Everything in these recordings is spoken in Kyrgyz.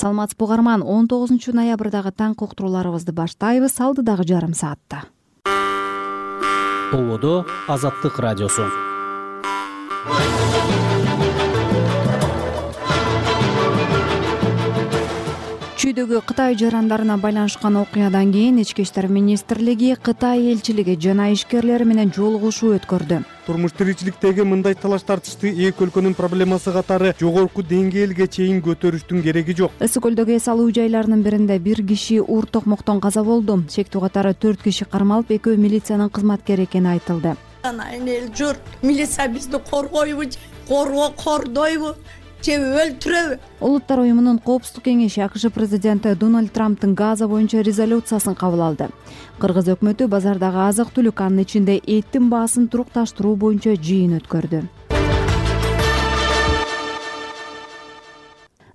саламатсызбы угарман, 19-ноябрдагы таңкы уктурууларыбызды баштайбыз. Алдыдагы жарым саатта Толодо Азаттык радиосу. Чүйдөгү Кытай жарандарына байланышкан окуядан кийин Ички иштер министрлиги Кытай элчилиги жана ишкерлери менен жолугушуу өткөрдү. Турмуш тиричиликтеги мындай талаш тартышты эки өлкөнүн проблемасы катары жогорку деңгээлге чейин көтөрүштүн кереги жок. Ысык көлдөгү эс алуу жайларынын биринде бир киши уур токмоктон каза болду. Шектүү катары 4 киши кармалып, экөө милициянын кызматкери экени айтылды. Эл журт милиция бизди коргойбу, кордойбу, же өлтүрөбү? Улуттар уюмунун коопсуздук кеңеши АКШ президенти Дональд Трамптын Газа боюнча резолюциясын кабыл алды. Кыргыз өкмөтү базардагы азык-түлүк, анын ичинде эттин баасын турукташтыруу боюнча жыйын өткөрдү.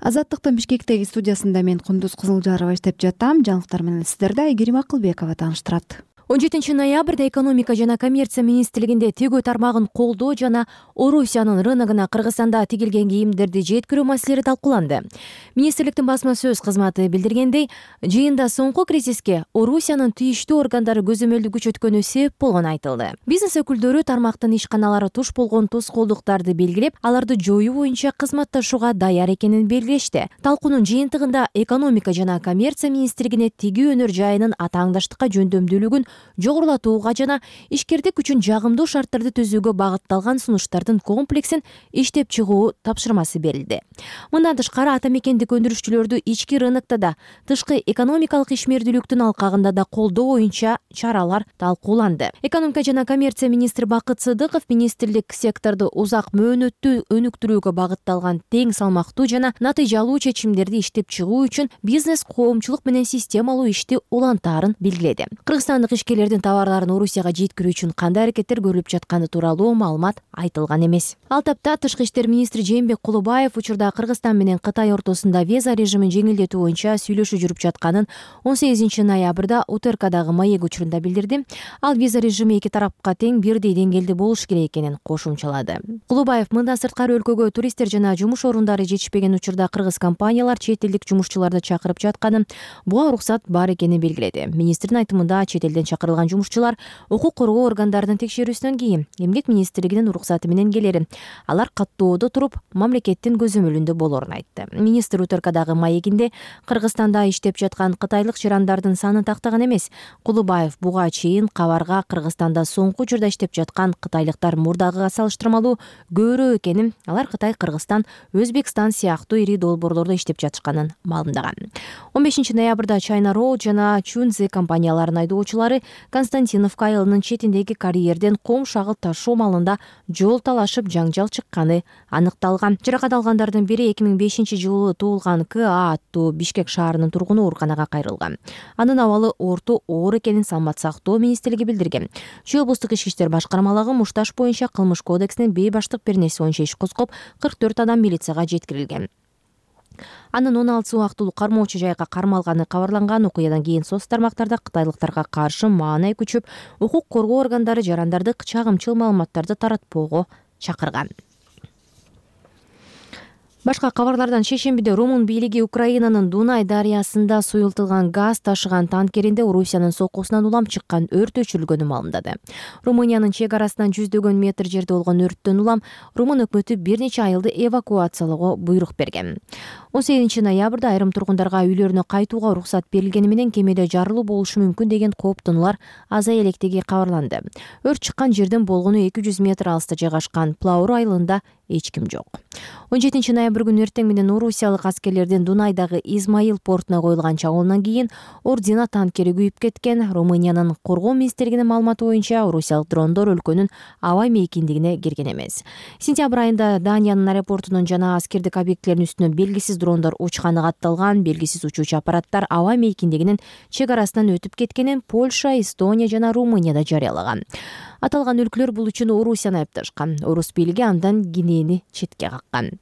Азаттыктын Бишкектеги студиясында мен Кундуз Кызылжарова иштеп жатам. Жаңылыктар менен сиздерди Айгерим Акылбекова тааныштырат. 17-ноябрда экономика жана коммерция министрлигинде тигүү тармагын колдоо жана Орусиянын рыногуна Кыргызстанда тигилген кийимдерди жеткирүү маселелери талкууланды. Министрликтин басма сөз кызматы билдиргендей, жыйында соңку кризиске Орусиянын тийиштүү органдары көзөмөлдү күчөткөнү себеп болгону айтылды. Бизнес өкүлдөрү тармактын ишканалары туш болгон тоскоолдуктарды белгилеп, аларды жоюу боюнча кызматташууга даяр экенин белгилешти. Талкуунун жыйынтыгында экономика жана коммерция министрлигине тигүү өнөр жайынын атааңдаштыкка жөндөмдүүлүгүн жогорулатууга жана ишкердик үчүн жагымдуу шарттарды түзүүгө багытталган сунуштардын комплексин иштеп чыгуу тапшырмасы берилди. Мындан тышкары ата мекендик өндүрүшчүлөрдү ички рынокто да, тышкы экономикалык ишмердүүлүктүн алкагында да колдоо боюнча чаралар талкууланды. Экономика жана коммерция министри Бакыт Сыдыков министрлик секторду узак мөөнөттүү өнүктүрүүгө багытталган тең салмактуу жана натыйжалуу чечимдерди иштеп чыгуу үчүн бизнес коомчулук менен системалуу ишти улантаарын белгиледи. Кыргызстандык ишкерлердин товарларын Орусияга жеткирүү үчүн кандай аракеттер көрүлүп жатканы тууралуу маалымат айтылган эмес. Ал тапта тышкы иштер министри Жээнбек Кулубаев учурда Кыргызстан менен Кытай ортосунда виза режимин жеңилдетүү боюнча сүйлөшүү жүрүп жатканын 18-ноябрда УТРКдагы маек учурунда билдирди. Ал виза режими эки тарапка тең бирдей деңгээлде болуш керек экенин кошумчалады. Кулубаев мындан сырткары өлкөгө туристтер жана жумуш орундары жетишпеген учурда кыргыз компаниялар чет элдик жумушчуларды чакырып жатканын, буга уруксат бар экенин белгиледи. Министрдин айтымында чет элден чакырылган жумушчулар укук коргоо органдарынын текшерүүсүнөн кийин Эмгек министрлигинин уруксаты менен келери. Алар каттоодо туруп, мамлекеттин көзөмөлүндө болорун айтты. Министр УТРКдагы маегинде Кыргызстанда иштеп жаткан кытайлык жарандардын санын тактаган эмес. Кулубаев буга чейин кабарга Кыргызстанда соңку учурда иштеп жаткан кытайлыктар мурдагыга салыштырмалуу көбүрөөк экенин, алар Кытай, Кыргызстан, Өзбекстан сыяктуу ири долбоорлордо иштеп жатышканын маалымдаган. 15-ноябрда China Road жана Chunzi компанияларынын айдоочулары Константиновка айылынын четиндеги карьерден ком шагыл ташуу маалында жол талашып жаңжал чыкканы аныкталган. Жаракат алгандардын бири 2005-жылы туулган К.А. аттуу Бишкек шаарынын тургуну ооруканага кайрылган. Анын абалы орто оор экенин Саламат сактоо министрлиги билдирген. Чүй облустук ички иштер башкармалыгы мушташ боюнча кылмыш кодексинин бейбаштык беренеси боюнча иш козгоп, 44 адам милицияга жеткирилген. Анын 16 убактылуу кармоочу жайга кармалганы кабарланган. Окуядан кийин соц тармактарда кытайлыктарга каршы маанай күчүп, укук коргоо органдары жарандарды чагымчыл маалыматтарды таратпоого чакырган. Башка кабарлардан шейшембиде Румын бийлиги Украинанын Дунай дарыясында суюлтулган газ ташыган танкеринде Орусиянын соккусунан улам чыккан өрт өчүрүлгөнү маалымдады. Румыниянын чек арасынан 100 метр жерде болгон өрттөн улам Румын өкмөтү бир нече айылды эвакуациялоого буйрук берген. 18-ноябрда айрым тургундарга үйлөрүнө кайтууга уруксат берилгени менен кемеде жарылуу болушу мүмкүн деген кооптонуулар азая электиги кабарланды. Өрт чыккан жерден болгону 200 метр алыста жайгашкан Плауру айылында эч ким жок. 17-ноябрь күнү эртең менен орусиялык аскерлердин Дунайдагы Измаил портуна коюлган чабуулунан кийин Ордина танкери күйүп кеткен. Румыниянын коргоо министрлигинин маалыматы боюнча орусиялык дрондор өлкөнүн аба мейкиндигине кирген эмес. Сентябрь айында Даниянын аэропортунун жана аскердик объектилеринин үстүнө белгисиз дрондор учканы катталган. Белгисиз учуучу аппараттар аба мейкиндигинин чек арасынан өтүп кеткенин Польша, Эстония жана Румынияда жарыялаган. Аталган өлкөлөр бул үчүн Орусияны айыпташкан. Орус бийлиги андан Гинени четке каккан.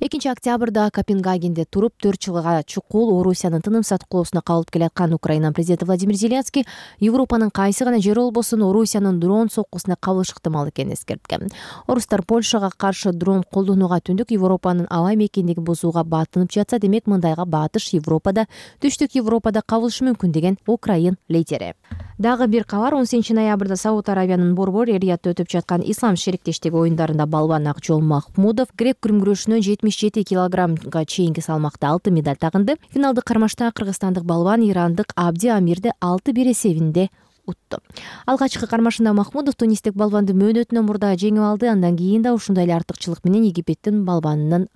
2 октябрда Копенгагенде туруп 4 жылга чукул Орусиянын тыным саткылоосуна кабылып келаткан Украина президенти Владимир Зеленский Европанын кайсы гана жери болбосун Орусиянын дрон соккусуна кабылыш ыктымал экенин эскерткен. Орустар Польшага каршы дрон колдонууга түндүк Европанын аба мекендиги бузууга баатынып жатса, демек мындайга баатыш Европада, түштүк Европада кабылышы мүмкүн деген Украин лидери. Дагы бир кабар: 18 ноябрда Сауд Арабиянын Борбор Риядда өтүп жаткан ислам шериктештиги оюндарында балбан Акжол Махмудов грек-күрүм күрөшүнөн 77 килограммга чейинки салмакта 6 медаль тагынды. Финалдык кармашта кыргызстандык балбан ирандык Абди Амирди 6-1 эсебинде утту. Алгачкы кармашында Махмудов тунистик балбанды мөөнөтүнөн мурда жеңип алды. Андан кийин да ушундай эле артыкчылык менен Египеттин балбанынын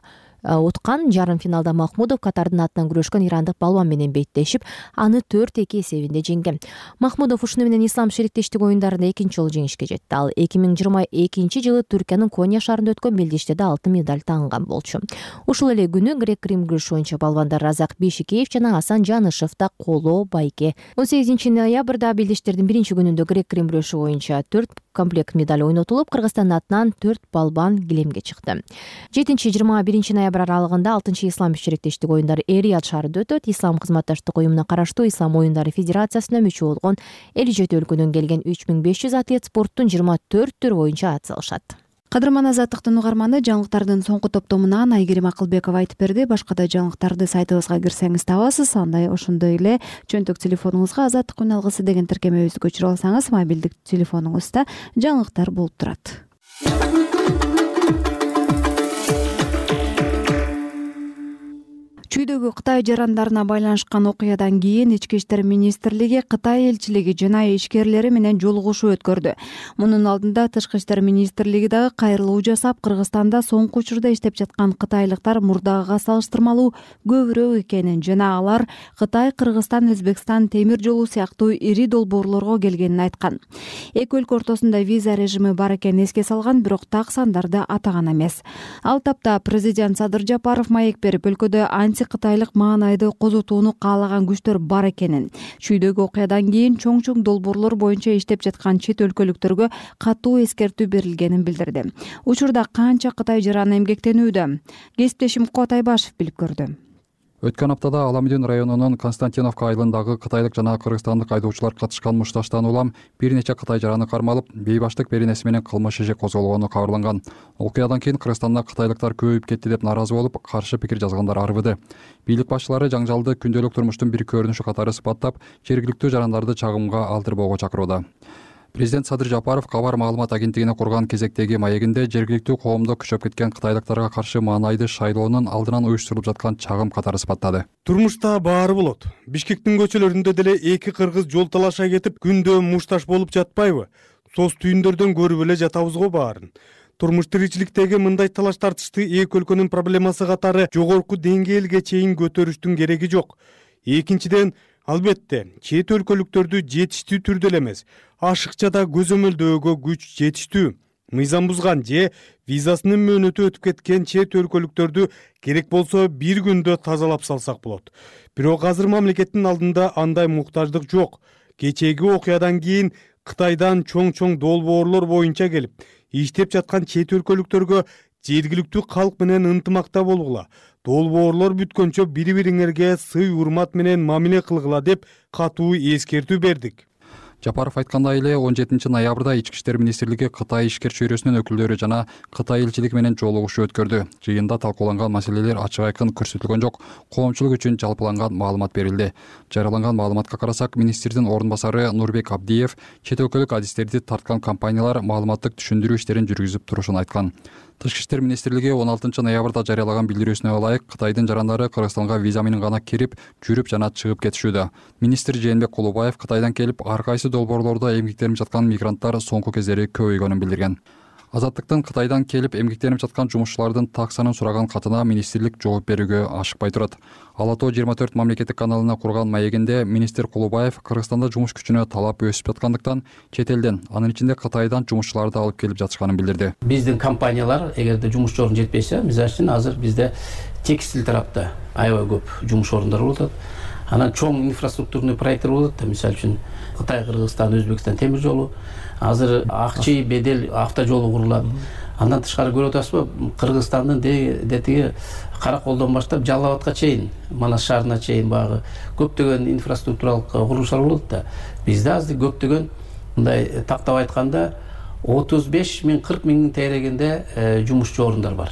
уткан. Жарым финалда Махмудов Катардын атынан күрөшкөн ирандык балбан менен беттешип, аны 4-2 эсебинде жеңген. Махмудов ушуну менен ислам шериктештиги оюндарында 2-жолу жеңишке жетти. Ал 2022-жылы Түркиянын Коня шаарында өткөн белдеште да 6 медаль тагынган болчу. Ушул эле күнү грек-рим күрөшү боюнча балбандар Разак Бишикеев жана Асан Жанышев да коло байке. 18 ноябрда белдештердин биринчи күнүндө грек-рим күрөшү боюнча 4 комплект медаль ойнотулуп, Кыргызстандын атынан 4 балбан килемге чыкты. 7-21 ноябрь аралыгында 6-ислам шериктештиги оюндары Эр-Рияд шаарында өтөт. Ислам кызматташтык уюмуна караштуу Ислам оюндары федерациясына мүчө болгон 57 өлкөдөн келген 3500 атлет спорттун 24 түрү боюнча ат салышат. Кадырман Азаттыктын угарманы, жаңылыктардын соңку топтомунан Айгерим Акылбекова айтып берди. Башка да жаңылыктарды сайтыбызга кирсеңиз табасыз. Ошондой эле чөнтөк телефонуңузга Азаттык үн алгысы деген тиркемебизди көчүрүп алсаңыз, мобилдик телефонуңузда жаңылыктар болуп турат. Чүйдөгү Кытай жарандарына байланышкан окуядан кийин Ички иштер министрлиги Кытай элчилиги жана ишкерлери менен жолугушуу өткөрдү. Мунун алдында Тышкы иштер министрлиги дагы кайрылуу жасап, Кыргызстанда соңку учурда иштеп жаткан кытайлыктар мурдагыга салыштырмалуу көбүрөөк экенин жана алар Кытай, Кыргызстан, Өзбекстан темир жолу сыяктуу ири долбоорлорго келгенин айткан. Эки өлкө ортосунда виза режими бар экенин эске салган, бирок так сандарды атаган эмес. Ал тапта президент Садыр Жапаров маек берип, өлкөдө кытайлык маанайды козотууну каалаган күчтөр бар экенин, чүйдөгү окуядан кийин чоң долбоорлор боюнча иштеп жаткан чет өлкөлүктөргө катуу эскертүү берилгенин билдирди. Учурда канча кытай жараны эмгектенүүдө? Кесиптешим Куат Айбашев билип көрдү. Өткөн аптада Аламедин районунун Константиновка айылындагы кытайлык жана кыргызстандык айдоочулар катышкан мушташтан улам бир нече кытай жараны кармалып, бейбаштык беренеси менен кылмыш иши козголгону кабарланган. Окуядан кийин Кыргызстанда кытайлыктар көбөйүп кетти деп нааразы болуп, каршы пикир жазгандар арбыды. Бийлик башчылары жаңжалды күндөлүк турмуштун бир көрүнүшү катары сыпаттап, жергиликтүү жарандарды чагымга алдырбоого чакырууда. Президент Садыр Жапаров кабар маалымат агенттигине курган кезектеги маегинде жергиликтүү коомдо күчөп кеткен кытайлыктарга каршы маанайды шайлоонун алдынан уюштурулуп жаткан чагым катары сыпаттады. Турмушта баары болот. Бишкектин көчөлөрүндө деле эки кыргыз жол талаша кетип, күндө мушташ болуп жатпайбы? Сос түйүндөрдөн көрүп эле жатабыз го баарын. Турмуш тиричиликтеги мындай талаш тартышты эки өлкөнүн проблемасы катары жогорку деңгээлге чейин көтөрүштүн кереги жок. Экинчиден, албетте, чет өлкөлүктөрдү жетиштүү түрдө эле эмес, ашыкча көзөмөлдөөгө күч жетиштүү. Мыйзам бузган же визасынын мөөнөтү өтүп кеткен чет өлкөлүктөрдү керек болсо бир күндө тазалап салсак болот. Бирок азыр мамлекеттин алдында андай муктаждык жок. Кечээги окуядан кийин Кытайдан чоң долбоорлор боюнча келип, иштеп жаткан чет өлкөлүктөргө жергиликтүү калк менен ынтымакта болгула. Долбоорлор бүткөнчө бири-бириңерге сый урмат менен мамиле кылгыла деп катуу эскертүү бердик. Жапаров айткандай эле 17 ноябрда Ички иштер министрлиги Кытай ишкер чөйрөсүнүн өкүлдөрү жана Кытай элчилиги менен жолугушуу өткөрдү. Жыйында талкууланган маселелер ачык айкын көрсөтүлгөн жок, коомчулук үчүн жалпыланган маалымат берилди. Жарыяланган маалыматка карасак, министрдин орун басары Нурбек Абдиев чет өлкөлүк адистерди тарткан компаниялар маалыматтык түшүндүрүү иштерин жүргүзүп турушун айткан. Тышкы иштер министрлиги 16 ноябрда жарыялаган билдирүүсүнө ылайык Кытайдын жарандары Кыргызстанга виза менен гана кирип, жүрүп жана чыгып кетишүүдө. Министр Жээнбек Кулубаев Кытайдан келип, ар кайсы долбоорлордо эмгектенип жаткан мигранттар соңку кездери көбөйгөнүн билдирген. Азаттыктын Кытайдан келип эмгектенип жаткан жумушчулардын так санын сураган катына министрлик жооп берүүгө ашыкпай турат. Алато 24 мамлекеттик каналына курган маегинде министр Кулубаев Кыргызстанда жумуш күчүнө талап өсүп жаткандыктан чет элден, анын ичинде Кытайдан жумушчуларды алып келип жатышканын билдирди. Биздин компаниялар эгерде жумуш орун жетпесе, мисалы үчүн азыр бизде текстиль тарапта аябай көп жумуш орундары болуп атат. Анан чоң инфраструктурный проекттер болот да, мисалы үчүн Кытай, Кыргызстан, Өзбекстан темир жолу, азыр Акчи, Бедел автожолу курулат. Андан тышкары көрүп атасызбы, Кыргызстандын тиги Караколдон баштап Жалал Абадка чейин, Манас шаарына чейин багы көптөгөн инфраструктуралык курулуштар болот да. Бизде азыр көптөгөн мындай тактап айтканда 35 миң 40 миңдин тегерегинде жумушчу орундар бар.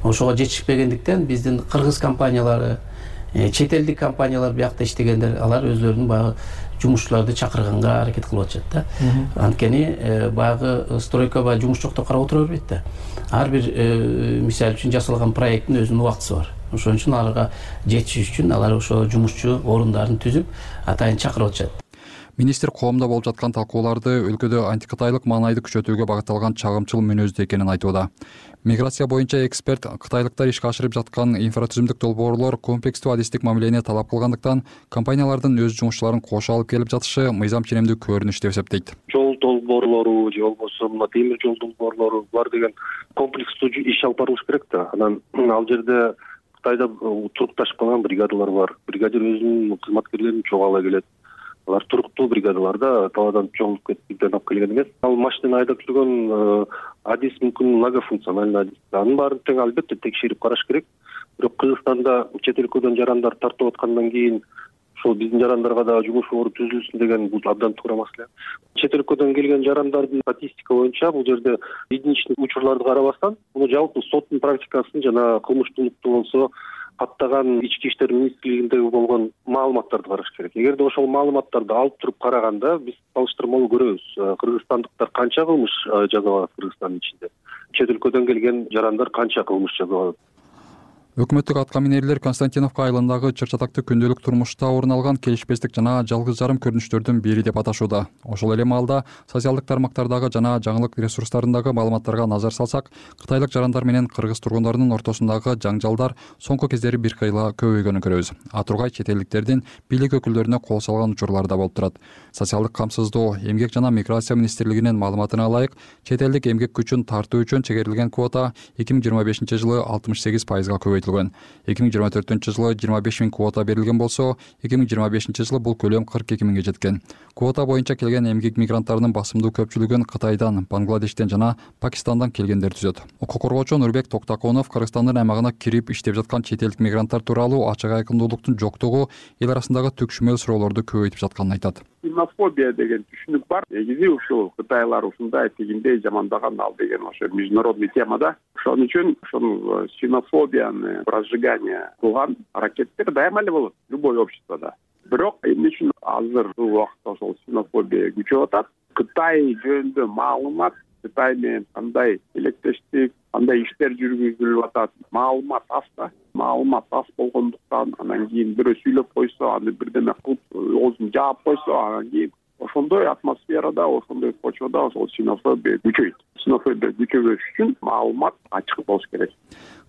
Ошого жетишпегендиктен биздин кыргыз компаниялары, чет элдик компаниялар биякта иштегендер, алар өзлөрүнүн баягы жумушчуларды чакырганга аракет кылып атышат да. Анткени баягы стройка баягы жумуш жок деп карап отура бербейт да. Ар бир мисал үчүн жасалган проекттин өзүнүн убактысы бар. Ошон үчүн аларга жетиш үчүн алар ошо жумушчу орундарын түзүп атайын чакырып атышат. Министр коомдо болуп жаткан талкууларды өлкөдө антикытайлык маанайды күчөтүүгө багытталган чагымчыл мүнөздүү экенин айтууда. Миграция боюнча эксперт кытайлыктар ишке ашырып жаткан инфратүзүмдүк долбоорлор комплекстүү адистик мамилени талап кылгандыктан компаниялардын өз жумушчуларын кошо алып келип жатышы мыйзам ченемдүү көрүнүш деп эсептейт. Жол долбоорлору же болбосо мына темир жол долбоорлору булар деген комплекстүү иш алып барылыш керек да. Анан ал жерде Кытайда турукташып калган бригадалар бар. Бригадир өзүнүн кызматкерлерин чогуу ала келет. Алар туруктуу бригадаларда талаадан чогулуп кетип бирден алып келген эмес. Ал машинаны айдап жүргөн адис мүмкүн многофункциональный адис. Анын баарын тең албетте текшерип караш керек. Бирок Кыргызстанда чет өлкөдөн жарандар тартып аткандан кийин ошол биздин жарандарга да жумуш ору түзүлсүн деген бул абдан туура маселе. Чет өлкөдөн келген жарандардын статистика боюнча бул жерде единичный учурларды карабастан, муну жалпы соттун практикасын жана кылмыштуулукту болсо каттаган ички иштер министрлигиндеги болгон маалыматтарды караш керек. Эгерде ошол маалыматтарды алып туруп караганда биз салыштырмалуу көрөбүз. Кыргызстандыктар канча кылмыш жасап атат Кыргызстандын ичинде. Чет өлкөдөн келген жарандар канча кылмыш жасап атат. Өкмөттүк аткаминерлер Константиновка айылындагы чыр-чатактуу күндөлүк турмушта орун алган келишпестик жана жалгыз жарым көрүнүштөрдүн бири деп аташууда. Ошол эле маалда социалдык тармактардагы жана жаңылык ресурстарындагы маалыматтарга назар салсак, кытайлык жарандар менен кыргыз тургундарынын ортосундагы жаңжалдар соңку кездери бир кыйла көбөйгөнүн көрөбүз. Атургай чет элдиктердин бийлик өкүлдөрүнө кол салган учурлар да болуп турат. Социалдык камсыздоо, эмгек жана миграция министрлигинин маалыматына ылайык, чет элдик эмгек күчүн тартуу үчүн чегерилген квота 2025-жылы 68%га көбөйтүлгөн. 2024-жылы 25 миң квота берилген болсо, 2025-жылы бул көлөм 42 миңге жеткен. Квота боюнча келген эмгек мигранттарынын басымдуу көпчүлүгүн Кытайдан, Бангладештен жана Пакистандан келгендер түзөт. Укук коргоочу Нурбек Токтаконов Кыргызстандын аймагына кирип иштеп жаткан чет элдик мигранттар тууралуу ачык айкындуулуктун жоктугу эл арасындагы түкшүмөл суроолорду көбөйтүп жатканын айтат. Ксенофобия деген түшүнүк бар. Негизи ушул Кытайлар ушундай тигиндей жамандаган ал деген ошо международный тема да. Ошон үчүн ошол ксенофобияны разжигание кылган аракеттер дайыма эле болот любой обществода. Бирок эмне үчүн азыр бул убакытта ошол ксенофобия күчөп атат? Кытай жөнүндө маалымат, Кытай менен кандай илектештик, кандай иштер жүргүзүлүп атат, маалымат аз да. Маалымат аз болгондуктан анан кийин бирөө сүйлөп койсо, аны бирдеме кылып оозун жаап койсо, анан кийин ошондой атмосферада, ошондой почвада ошол ксенофобия күчөйт. Ксенофобия күчөбөш үчүн маалымат ачык болуш керек.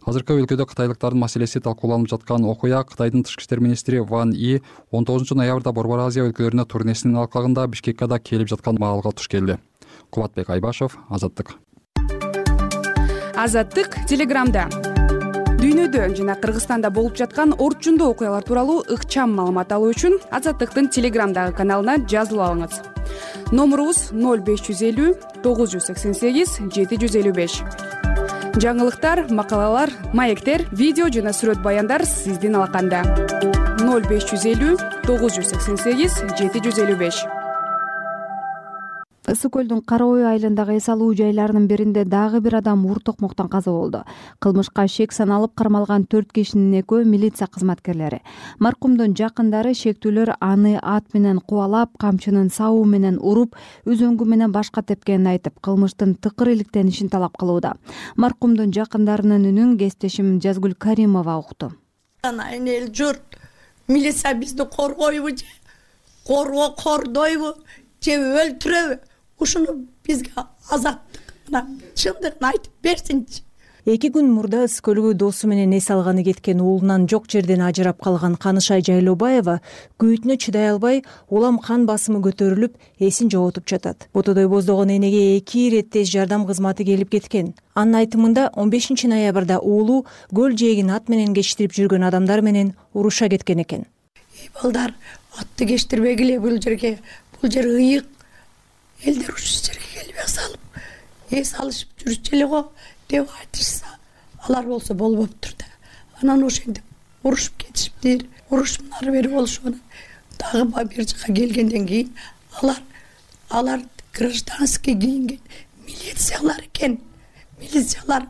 Азыркы өлкөдө кытайлыктардын маселеси талкууланып жаткан окуя Кытайдын тышкы иштер министри Ван И 19-ноябрда Борбор Азия өлкөлөрүнө турнесинин алкагында Бишкекке да келип жаткан маалга туш келди. Кубатбек Айбашев, Азаттык. Азаттык Телеграмда. Дүйнөдө жана Кыргызстанда болуп жаткан орчундуу окуялар тууралуу ыкчам маалымат алуу үчүн Азаттыктын Телеграмдагы каналына жазылып алыңыз. Номурубуз 0550 988 755. Жаңылыктар, макалалар, маектер, видео жана сүрөт баяндар сиздин алаканда. 0550 988 755. Ысык көлдүн Кара ой айылындагы эс алуу жайларынын биринде дагы бир адам уур токмоктон каза болду. Кылмышка шек саналып кармалган 4 кишинин экөө милиция кызматкерлери. Маркумдун жакындары шектүүлөр аны ат менен кубалап, камчынын сабы менен уруп, үзөңгү менен башка тепкенин айтып, кылмыштын тыкыр иликтенишин талап кылууда. Маркумдун жакындарынын үнүн кесиптешим Жазгүл Каримова укту. Анайын эл журт, милиция бизди коргойбу же, кордойбу же өлтүрөбү? Ушуну бизге азаттык мына чындыгын айтып берсинчи. 2 күн мурда Ысык көлгө досу менен эс алганы кеткен уулунан жок жерден ажырап калган Канышай Жайлообаева күйүтүнө чыдай албай, улам кан басымы көтөрүлүп, эсин жоготуп жатат. Ботодой боздогон энеге 2 ирет тез жардам кызматы келип кеткен. Анын айтымында 15 ноябрда уулу көл жээгин ат менен кечтирип жүргөн адамдар менен уруша кеткен экен. Балдар атты кечтирбегиле бул жерге. Бул жер ыйык. Элдер ушул жерге келип эс алып, эс алышып жүрүшчү эле го деп айтышса, алар болсо болбоптур да. Анан ошентип урушуп кетишиптир. Урушуп нары бери болушуп, анан дагы бир жака келгенден кийин алар гражданский кийинген милициялар экен. Милициялар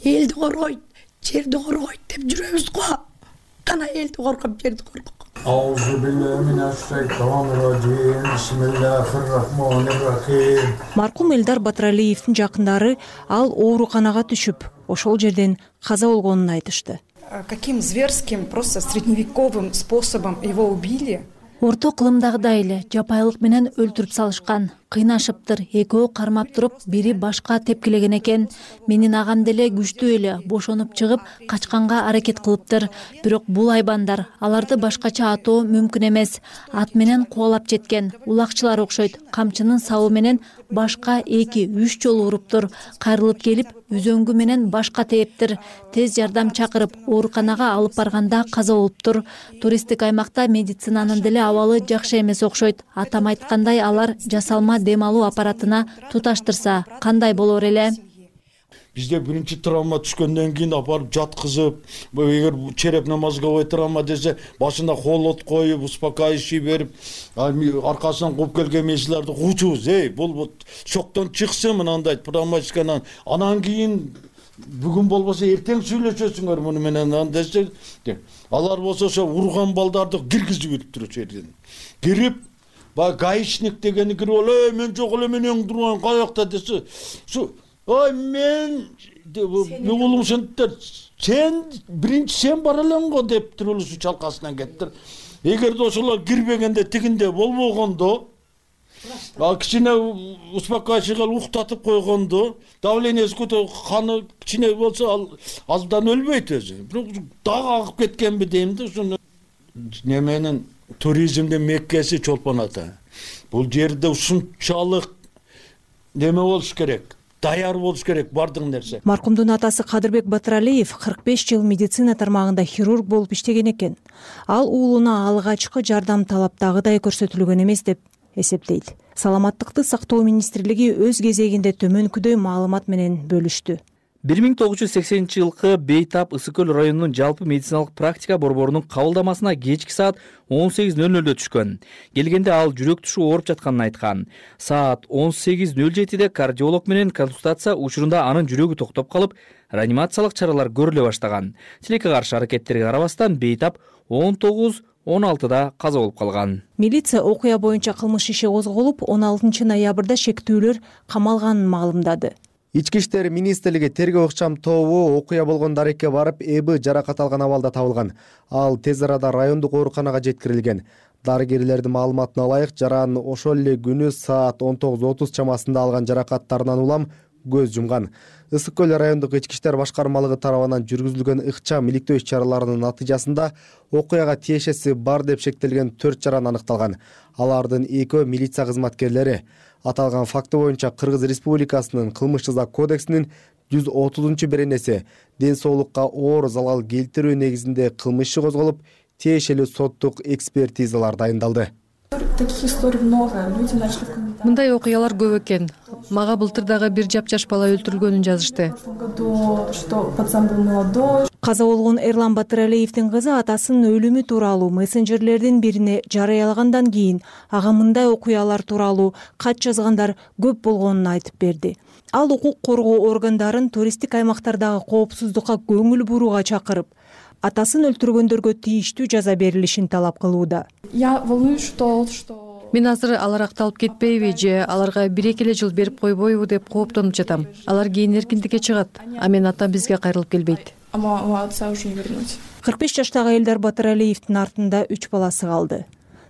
элди коргойт, жерди коргойт деп жүрөбүз го. Кана элди коргоп, жерди коргоп. Маркум Элдар Батыралиевдин жакындары ал ооруканага түшүп, ошол жерден каза болгонун айтышты. Каким зверским, просто средневековым способом его убили? Орто кылымдагыдай эле жапайылык менен өлтүрүп салышкан. Кыйнашыптыр, экөө кармап туруп, бири башка тепкилеген экен. Менин агам деле күчтүү эле бошонуп чыгып, качканга аракет кылыптыр. Бирок бул айбандар, аларды башкача атоо мүмкүн эмес. Ат менен кубалап жеткен, улакчылар окшойт. Камчынын сабы менен башка 2-3 жолу уруптур. Кайрылып келип, үзөңгү менен башка тээптир. Тез жардам чакырып, ооруканага алып барганда каза болуптур. Туристтик аймакта медицинанын деле абалы жакшы эмес окшойт. Атам айткандай, алар жасалма дем алуу аппаратына туташтырса кандай болор эле? Бизде биринчи травма түшкөндөн кийин апарып жаткызып, эгер череп намазговой травма десе, башына холод коюп, успокаивающий берип, аркасынан кууп келген меселерди куучубуз. Бул шоктон чыксын мынандай травматиканан. Анан кийин бүгүн болбосо эртең сүйлөшөсүңөр муну менен десе, алар болсо ошо урган балдарды киргизип өтүптүр ошол жерден. Кирип гаишник дегени кирип алып, мен жок эле, мен эң турган каякта десе, ой мен улум сенттер, сен биринчи сен бара элең го дептир, улусу чалкасынан кеттир. Эгерде ошолор кирбегенде тигинде болбогондо, кичине успокаивающий кылып уктатып койгондо, давлениеси көтөрүп, каны кичине болсо аздан өлбөйт өзү. Бирок дагы агып кеткенби дейм да, ошону неменин туризмдин меккеси Чолпон Ата. Бул жерде ушунчалык неме болуш керек, даяр болуш керек бардык нерсе. Маркумдун атасы Кадырбек Батыралиев 45 жыл медицина тармагында хирург болуп иштеген экен. Ал уулуна алгачкы жардам талаптагыдай көрсөтүлгөн эмес деп эсептейт. Саламаттыкты сактоо министрлиги өз кезегинде төмөнкүдөй маалымат менен бөлүштү. 1980-жылкы Бейтап Ысык көл районунун жалпы медициналык практика борборунун кабылдамасына кечки саат 18:00 түшкөн. Келгенде ал жүрөк тушу ооруп жатканын айткан. Саат 18:07 кардиолог менен консультация учурунда анын жүрөгү токтоп калып, реанимациялык чаралар көрүлө баштаган. Тилекке каршы аракеттерге карабастан Бейтап 19:16 каза болуп калган. Милиция окуя боюнча кылмыш иши козголуп, 16 ноябрда шектүүлөр камалганын маалымдады. Ички иштер министрлиги тергөө ыкчам тобу окуя болгон дарекке барып, Эби жаракат алган абалда табылган. Ал тез арада райондук ооруканага жеткирилген. Дарыгерлердин маалыматына ылайык, жаран ошол эле күнү саат 19:30 чамасында алган жаракаттарынан улам көз жумган. Ысык көл райондук ички иштер башкармалыгы тарабынан жүргүзүлгөн ыкчам иликтөө иш-чараларынын натыйжасында окуяга тиешеси бар деп шектелген 4 жаран аныкталган. Алардын 2 милиция кызматкерлери. Аталган факты боюнча Кыргыз Республикасынын кылмыш жаза кодексинин 130-беренеси ден соолукка оор залал келтирүү негизинде кылмыш иши козголуп, тиешелүү соттук экспертизалар дайындалды. Мындай окуялар көп экен. Мага былтыр дагы бир жапжаш бала өлтүрүлгөнүн жазышты. Каза болгон Эрлан Батыралиевдин кызы атасынын өлүмү тууралуу мессенджерлердин бирине жарыялагандан кийин ага мындай окуялар тууралуу кат жазгандар көп болгонун айтып берди. Ал укук коргоо органдарын туристтик аймактардагы коопсуздукка көңүл бурууга чакырып, атасын өлтүргөндөргө тийиштүү жаза берилишин талап кылууда. Мен азыр алар акталып кетпейби же аларга 1-2 жыл берип койбойбу деп кооптонуп жатам. Алар кийин эркиндикке чыгат, а мен атам бизге кайрылып келбейт. 45 жаштагы Элдар Батыралиевдин артында 3 баласы калды.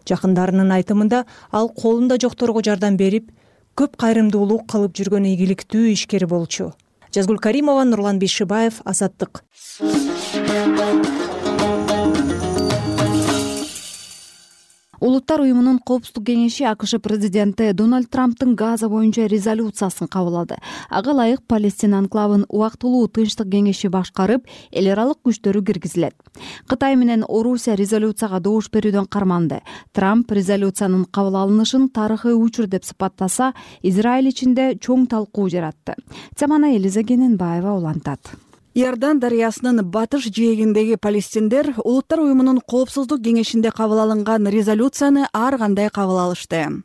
Жакындарынын айтымында ал колунда жокторго жардам берип, көп кайрымдуулук кылып жүргөн ийгиликтүү ишкер болчу. Жазгүл Каримова, Нурлан Бейшибаев, Азаттык. Улуттук Улуттар уюмунун коопсуздук кеңеши АКШ президенти Дональд Трамптын Газа боюнча резолюциясын кабыл алды. Ага ылайык Палестина анклавын убактылуу тынчтык кеңеши башкарып, эл аралык күчтөрү киргизилет. Кытай менен Орусия резолюцияга добуш берүүдөн карманды. Трамп резолюциянын кабыл алынышын тарыхый учур деп сыпаттаса, Израиль ичинде чоң талкуу жаратты. Теманы Элиза Кененбаева улантат. Иордан дарыясынын батыш жээгиндеги палестиндер Улуттар уюмунун коопсуздук кеңешинде кабыл алынган резолюцияны ар кандай кабыл алышты.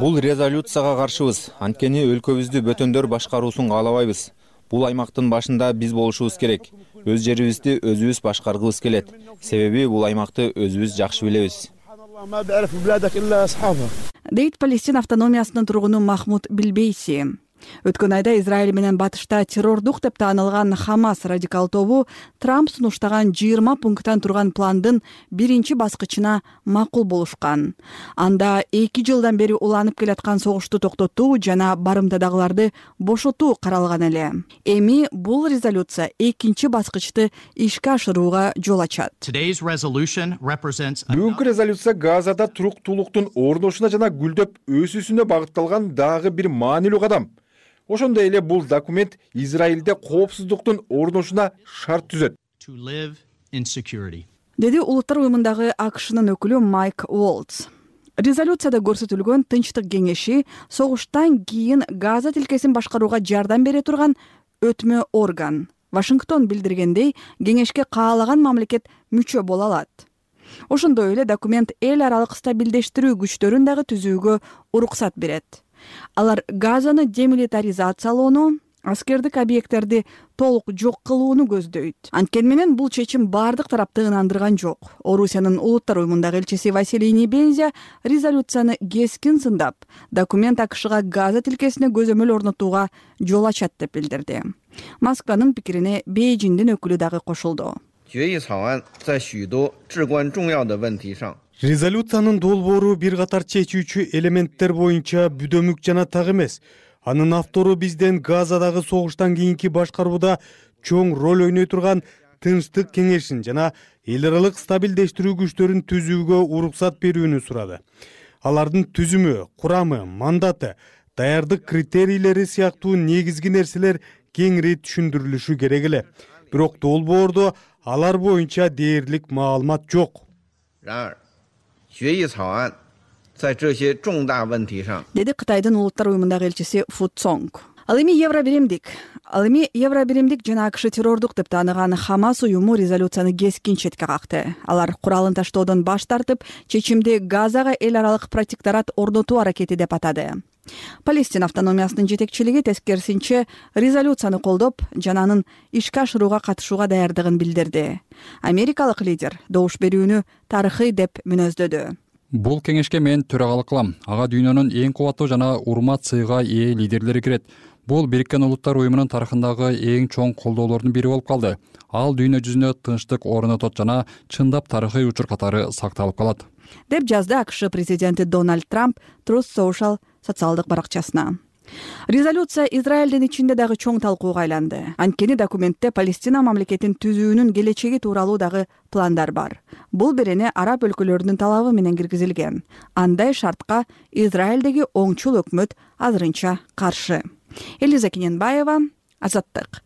Бул резолюцияга каршыбыз, анткени өлкөбүздү бөтөндөр башкаруусун каалабайбыз. Бул аймактын башында биз болушубуз керек. Өз жерибизди өзүбүз башкаргыбыз келет. Себеби бул аймакты өзүбүз жакшы билебиз. Дейт Палестина автономиясынын тургуну Махмуд Билбейси. Өткөн айда Израиль менен батышта террордук деп таанылган Хамас радикал тобу Трамп сунуштаган 20 пункттан турган пландын биринчи баскычына макул болушкан. Анда 2 жылдан бери уланып келаткан согушту токтотуу жана барымтадагыларды бошотуу каралган эле. Эми бул резолюция экинчи баскычты ишке ашырууга жол ачат. Бүгүнкү резолюция Газада туруктуулуктун орношуна жана гүлдөп өсүүсүнө багытталган дагы бир маанилүү кадам. Ошондой эле бул документ Израилде коопсуздуктун орношуна шарт түзөт. Деди Улуттар уюмундагы АКШнын өкүлү Майк Уолтс. Резолюцияда көрсөтүлгөн тынчтык кеңеши согуштан кийин Газа тилкесин башкарууга жардам бере турган өтмө орган. Вашингтон билдиргендей, кеңешке каалаган мамлекет мүчө боло алат. Ошондой эле документ эл аралык стабилдештирүү күчтөрүн дагы түзүүгө уруксат берет. Алар Газаны демилитаризациялоону, аскердик объекттерди толук жок кылууну көздөйт. Анткени менен бул чечим бардык тарапты ынандырган жок. Орусиянын Улуттар уюмундагы элчиси Василий Небензя резолюцияны кескин сындап, документ АКШга Газа тилкесине көзөмөл орнотууга жол ачат деп билдирди. Москванын пикирине Бейжиңдин өкүлү дагы кошулду. Резолюциянын долбоору бир катар чечүүчү элементтер боюнча бүдөмүк жана так эмес. Анын автору бизден Газадагы согуштан кийинки башкарууда чоң роль ойной турган тынчтык кеңешин жана эл аралык стабилдештирүү күчтөрүн түзүүгө уруксат берүүнү сурады. Алардын түзүмү, курамы, мандаты, даярдык критерийлери сыяктуу негизги нерселер кеңири түшүндүрүлүшү керек эле. Бирок долбоордо алар боюнча дээрлик маалымат жок. Деди Кытайдын Улуттар уюмундагы элчиси Фу Цонг. Ал эми Евробиримдик жана АКШ террордук деп тааныган Хамас уюму резолюцияны кескин четке какты. Алар куралын таштоодон баш тартып, чечимди Газага эл аралык протекторат орнотуу аракети деп атады. Палестина автономиясынын жетекчилиги тескерисинче резолюцияны колдоп, жана анын ишке ашырууга катышууга даярдыгын билдирди. Америкалык лидер добуш берүүнү тарыхый деп мүнөздөдү. Бул кеңешке мен төрагалык кылам. Ага дүйнөнүн эң кубаттуу жана урмат сыйга ээ лидерлери кирет. Бул Бириккен Улуттар уюмунун тарыхындагы эң чоң колдоолордун бири болуп калды. Ал дүйнө жүзүнө тынчтык орнотот жана чындап тарыхый учур катары сакталып калат. Деп жазды АКШ президенти Дональд Трамп Truth Social социалдык баракчасына. Резолюция Израилдин ичинде дагы чоң талкууга айланды. Анткени документте Палестина мамлекетин түзүүнүн келечеги тууралуу дагы пландар бар. Бул берене араб өлкөлөрүнүн талабы менен киргизилген. Андай шартка Израилдеги оңчул өкмөт азырынча каршы. Элиза Кененбаева, Азаттык.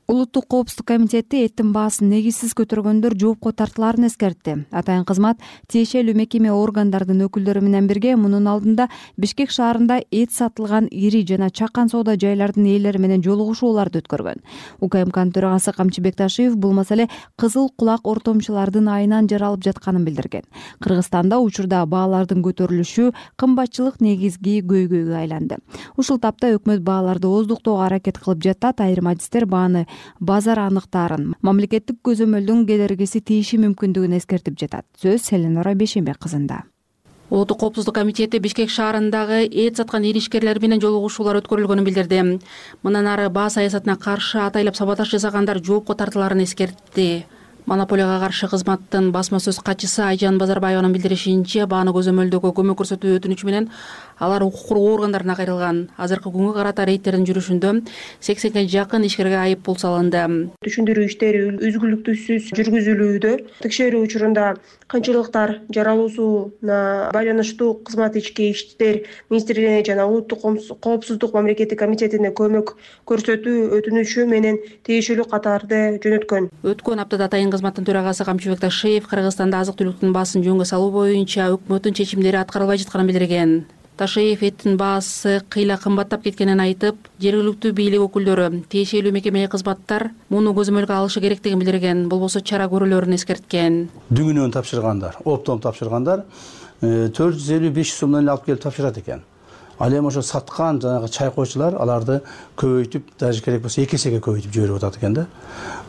Улуттук коопсуздук комитети эттин баасын негизсиз көтөргөндөр жоопко тартылаарын эскертти. Атайын кызмат тиешелүү мекеме органдардын өкүлдөрү менен бирге мунун алдында Бишкек шаарында эт сатылган ири жана чакан соода жайлардын ээлери менен жолугушууларды өткөргөн. УКМКнын төрагасы Камчы Бекташиев бул маселе кызыл кулак ортомчулардын айынан жаралып жатканын билдирген. Кыргызстанда учурда баалардын көтөрүлүшү кымбатчылык негизги көйгөйгө айланды. Ушул тапта өкмөт бааларды ооздуктоого аракет кылып жатат. Айрым адистер бааны базар аныктаарын, мамлекеттик көзөмөлдүн кедергиси тийиши мүмкүндүгүн эскертип жатат. Сөз Селенора Бешенбек кызында. Улуттук коопсуздук комитети Бишкек шаарындагы эт саткан иришкерлер менен жолугушуулар өткөрүлгөнүн билдирди. Мындан ары баа саясатына каршы атайлап саботаж жасагандар жоопко тартылаарын эскертти. Монополияга каршы кызматтын басма сөз катчысы Айжан Базарбаеванын билдиришинче, бааны көзөмөлдөөгө көмөк көрсөтүү өтүнүчү менен алар укук коргоо органдарына кайрылган. Азыркы күнгө карата рейдтердин жүрүшүндө 80ге жакын ишкерге айып пул салынды. Түшүндүрүү иштери үзгүлтүксүз жүргүзүлүүдө. Текшерүү учурунда кыйынчылыктар жаралуусуна байланыштуу кызмат ички иштер министрлигине жана улуттук коопсуздук мамлекеттик комитетине көмөк көрсөтүү өтүнүшү менен тиешелүү катарды жөнөткөн. Өткөн аптада атайын кызматтын төрагасы Камчыбек Ташиев Кыргызстанда азык-түлүктүн баасын жөнгө салуу боюнча өкмөттүн чечимдери аткарылбай жатканын билдирген. Ташиев эттин баасы кыйла кымбаттап кеткенин айтып, жергиликтүү бийлик өкүлдөрү тиешелүү мекемеге кызматтар муну көзөмөлгө алышы керектигин билдирген, болбосо чара көрүүлөрүн эскерткен. Дүңүнөн тапшыргандар, оптом тапшыргандар 450-500 сомдон эле алып келип тапшырат экен. Ал эми ошо саткан жанагы чай койчулар аларды көбөйтүп, даже керек болсо 2 эсеге көбөйтүп жиберип атат экен да.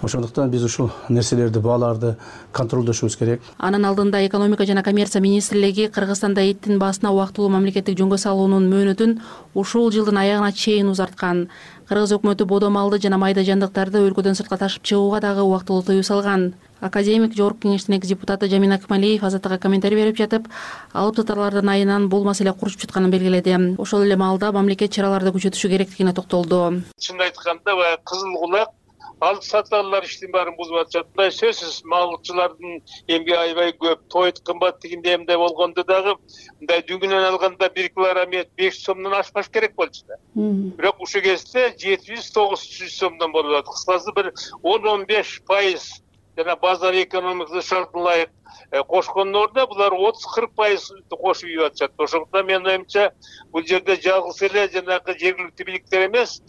Ошондуктан биз ушул нерселерди, бааларды контролдошубуз керек. Анын алдында экономика жана коммерция министрлиги Кыргызстанда эттин баасына убактылуу мамлекеттик жөнгө салуунун мөөнөтүн ушул жылдын аягына чейин узарткан. Кыргыз өкмөтү бодо малды жана майда жандыктарды өлкөдөн сыртка ташып чыгууга дагы убактылуу тыюу салган. Академик Жогорку кеңештин экс-депутаты Жамин Акмалиев Азаттыкка комментарий берип жатып, алып сатарлардын айынан бул маселе курчуп жатканын белгиледи. Ошол эле маалда мамлекет чараларды күчөтүшү керектигине токтолду. Чынын айтканда, баягы кызыл кулак алып сатарлар иштин баарын бузуп атышат. Мындай сөзсүз малчылардын эмги аябай көп, тойт кымбат дегенде эмне болгондо дагы мындай дүңүнөн алганда 1 килограмм эт 500 сомдон ашпаш керек болчу да. Бирок ушул кезде 700-900 сомдон болуп атат. Кыскасы бир 10-15% жана базар экономикасы шартына ылайык кошкондун ордуна булар 30-40% кошуп ийип атышат. Ошондуктан менин оюмча бул жерде жалгыз эле жанагы жергиликтүү бийликтер эмес,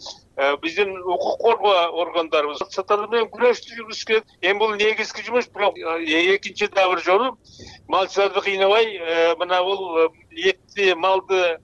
биздин укук коргоо органдарыбыз сатарлар менен күрөштү жүргүзүш керек. Эми бул негизги жумуш, бирок экинчи дагы бир жолу малчыларды кыйнабай, мына бул этти малды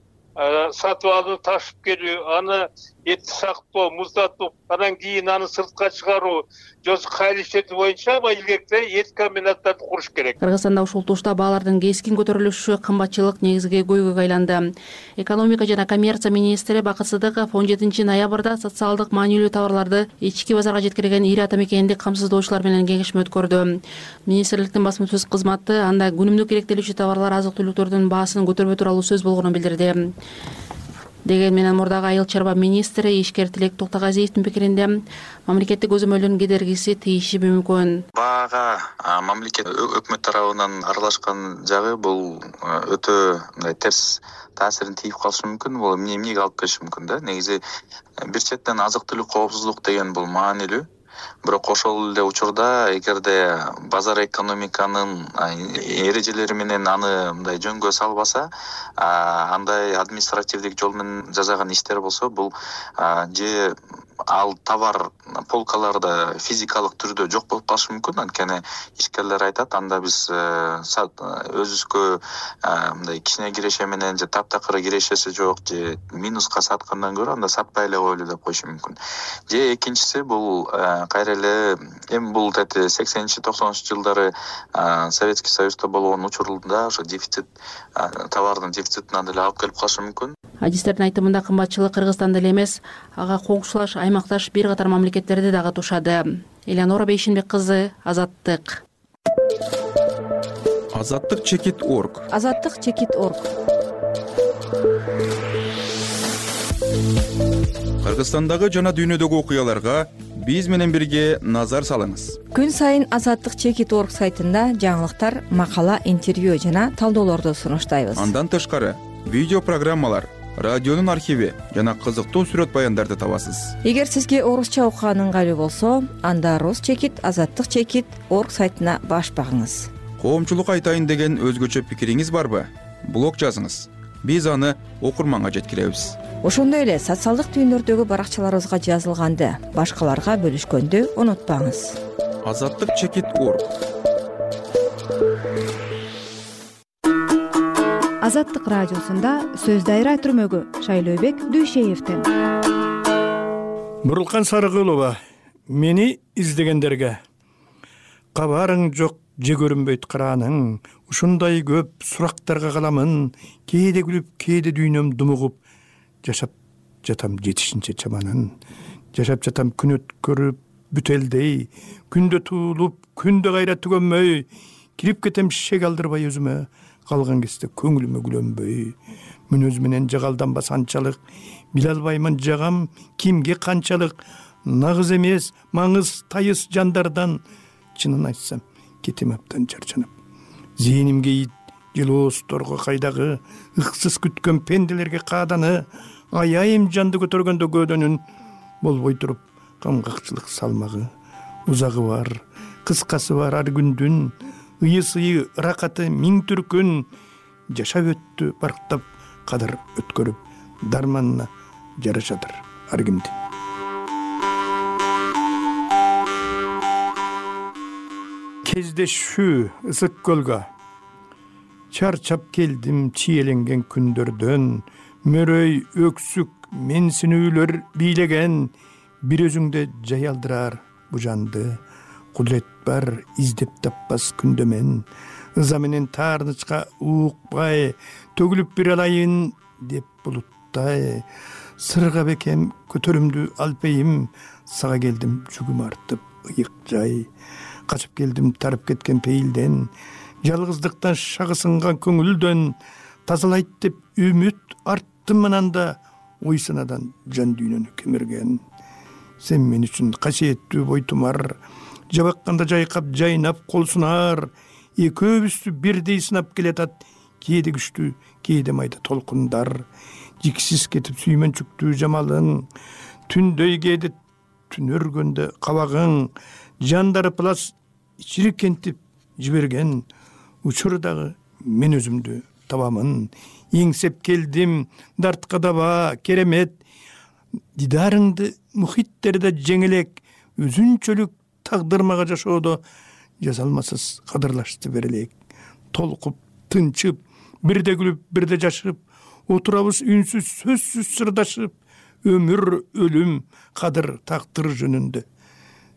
сатып алып ташып келүү, аны этти сактоо, муздатып, анан кийин аны сыртка чыгаруу, жосу кайры иштетүү боюнча илгеркте эт комбинаттарды куруш керек. Кыргызстанда ушул тушта баалардын кескин көтөрүлүшү, кымбатчылык негизги көйгөйгө айланды. Экономика жана коммерция министри Бакыт Сыдыков 17 ноябрда социалдык маанилүү товарларды ички базарга жеткирген ири ата мекендик камсыздоочулар менен кеңешме өткөрдү. Министрликтин басма сөз кызматы анда күнүмдүк керектелүүчү товарлар, азык-түлүктөрдүн баасын көтөрбөй тууралуу сөз болгонун билдирди. Деген менен мурдагы айыл чарба министри ишкер Тилек Токтогазиевдин пикиринде мамлекеттик көзөмөлдүн кедергиси тийиши мүмкүн. Баага мамлекет өкмөт тарабынан аралашкан жагы бул өтө мындай терс таасирин тийип калышы мүмкүн. Бул эмнеге алып келиши мүмкүн да. Негизи бир четтен азык-түлүк коопсуздук деген бул маанилүү. Бирок ошол эле учурда эгерде базар экономиканын эрежелери менен аны мындай жөнгө салбаса, андай административдик жол менен жасаган иштер болсо, бул же ал товар полкаларда физикалык түрдө жок болуп калышы мүмкүн. Анткени ишкерлер айтат, анда биз өзүбүзгө мындай кичине киреше менен же таптакыр кирешеси жок, же минуска саткандан көрө анда сатпай эле коелу деп коюшу мүмкүн. Же экинчиси бул кайра эле эми бул 80-90 жылдары Советский Союзда болгон учурунда ошо дефицит, товардын дефицитине деле алып келип калышы мүмкүн. Адистердин айтымында кымбатчылык Кыргызстанда эле эмес, ага коңшулаш аймакташ бир катар мамлекеттерди дагы тушады. Элеонора Бейшенбек кызы, Азаттык. Азаттык чекит.org. Азаттык чекит.org. Кыргызстандагы жана дүйнөдөгү окуяларга биз менен бирге назар салыңыз. Күн сайын Азаттык чекит.org сайтында жаңылыктар, макала, интервью жана талдоолорду сунуштайбыз. Андан тышкары видео программалар, радионун архиви жана кызыктуу сүрөт баяндарды табасыз. Эгер сизге орусча окуган ыңгайлуу болсо, анда Рус чекит, Азаттык чекит.org сайтына баш багыңыз. Коомчулук айтайын деген өзгөчө пикириңиз барбы? Блог жазыңыз. Биз аны окурманга жеткиребиз. Ошондой эле социалдык түйүндөрдөгү баракчаларыбызга жазылганды башкаларга бөлүшкөндү унутпаңыз. Азаттык чекит.org. Азаттык радиосунда сөз дайра түрмөгү Шайлообек Дүйшеевден. Бурулкан Сарыгулова, мени издегендерге кабарың жок, же көрүнбөйт карааның, ушундай көп сурактарга каламын, кээде күлүп, кээде дүйнөм думугуп, жашап жатам жетишинче чаманын, жашап жатам күн өткөрүп бүтелдей, күндө туулуп, күндө кайра түгөнмөй, кирип кетем шек алдырбай өзүмө, калган кезде көңүлүмө күлөнбөй, мүнөз менен жагалданбас анчалык, биле албаймын жагам кимге канчалык, нагыз эмес маңыз тайыз жандардан, чынын айтсам кетем абдан чарчанып. Зээнимге ит желоосторго кайдагы, ыксыз күткөн пенделерге кааданы, аяйым жанды көтөргөндө көөдөнүн, болбой туруп камгакчылык салмагы. Узагы бар, кыскасы бар ар күндүн, ыйы-сыйы ыракаты миң түркүн, жашап өттү барктап кадыр өткөрүп, дарманына жарашадыр ар кимди. Кездешүү ысык көлгө, чарчап келдим чиеленген күндөрдөн, мөрөй өксүк менсинүүлөр бийлеген, бир өзүңдө жаялдырар бу жанды, кудурет бар издеп таппас күндө мен, ыза менен таарнычка уукпай, төгүлүп бир алайын деп булуттай, сырга бекем көтөрүмдү алпейим, сага келдим жүгүм артып ыйык жай, качып келдим тарып кеткен пейилден, жалгыздыктан шагы сынган көңүлдөн, тазалайт деп үмүт арттым ананда, ой санадан жан дүйнөнү кемирген. Сен мен үчүн касиеттүү бойтумар, жабакканда жайкап жайнап кол сунар, экөөбүздү бирдей сынап келатат, кээде күчтүү кээде майда толкундар, жиксиз кетип сүймөнчүктүү жамалың, түндөй кээде түн өргөндө кабагың, жандары плас чирикентип жиберген, учурдагы мен өзүмдү табамын, эңсеп келдим дартка даба керемет, дидарыңды мухиттерде жеңелек, өзүнчөлүк тагдырмага жашоодо жазалмасыз кадырлашты берелек. Толкуп, тынчып, бирде күлүп, бирде жашып, отурабыз үнсүз, сөзсүз сырдашып, өмүр, өлүм, кадыр, тактыр жөнүндө.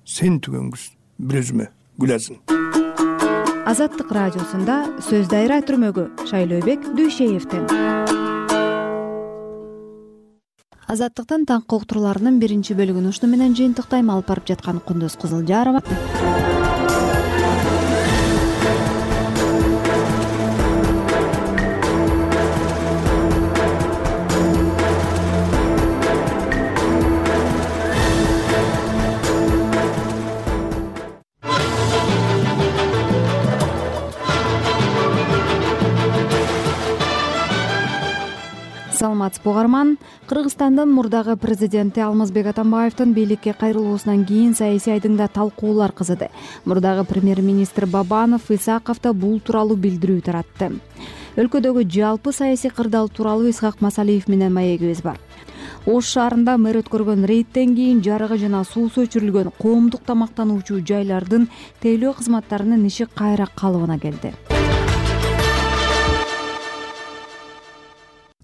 Сен түгөнгүз бир өзүмө гүлазын. Азаттык радиосунда сөз дайра түрмөгү Шайлообек Дүйшеевден. Азаттыктын таңкы уктурууларынын биринчи бөлүгүн ушуну менен жыйынтыктайм. Алып барып жаткан Кундуз Кызылжарова. Саламатсызбы угарман. Кыргызстандын мурдагы президенти Алмазбек Атамбаевдин бийликке кайрылуусунан кийин саясий айдыңда талкуулар кызыды. Мурдагы премьер-министр Бабанов Исаковдо бул тууралуу билдирүү таратты. Өлкөдөгү жалпы саясий кырдаал тууралуу Исхак Масалиев менен маегибиз бар. Ош шаарында мэр өткөргөн рейдтен кийин жарыгы жана суусу өчүрүлгөн коомдук тамактануучу жайлардын тейлөө кызматтарынын иши кайра калыбына келди.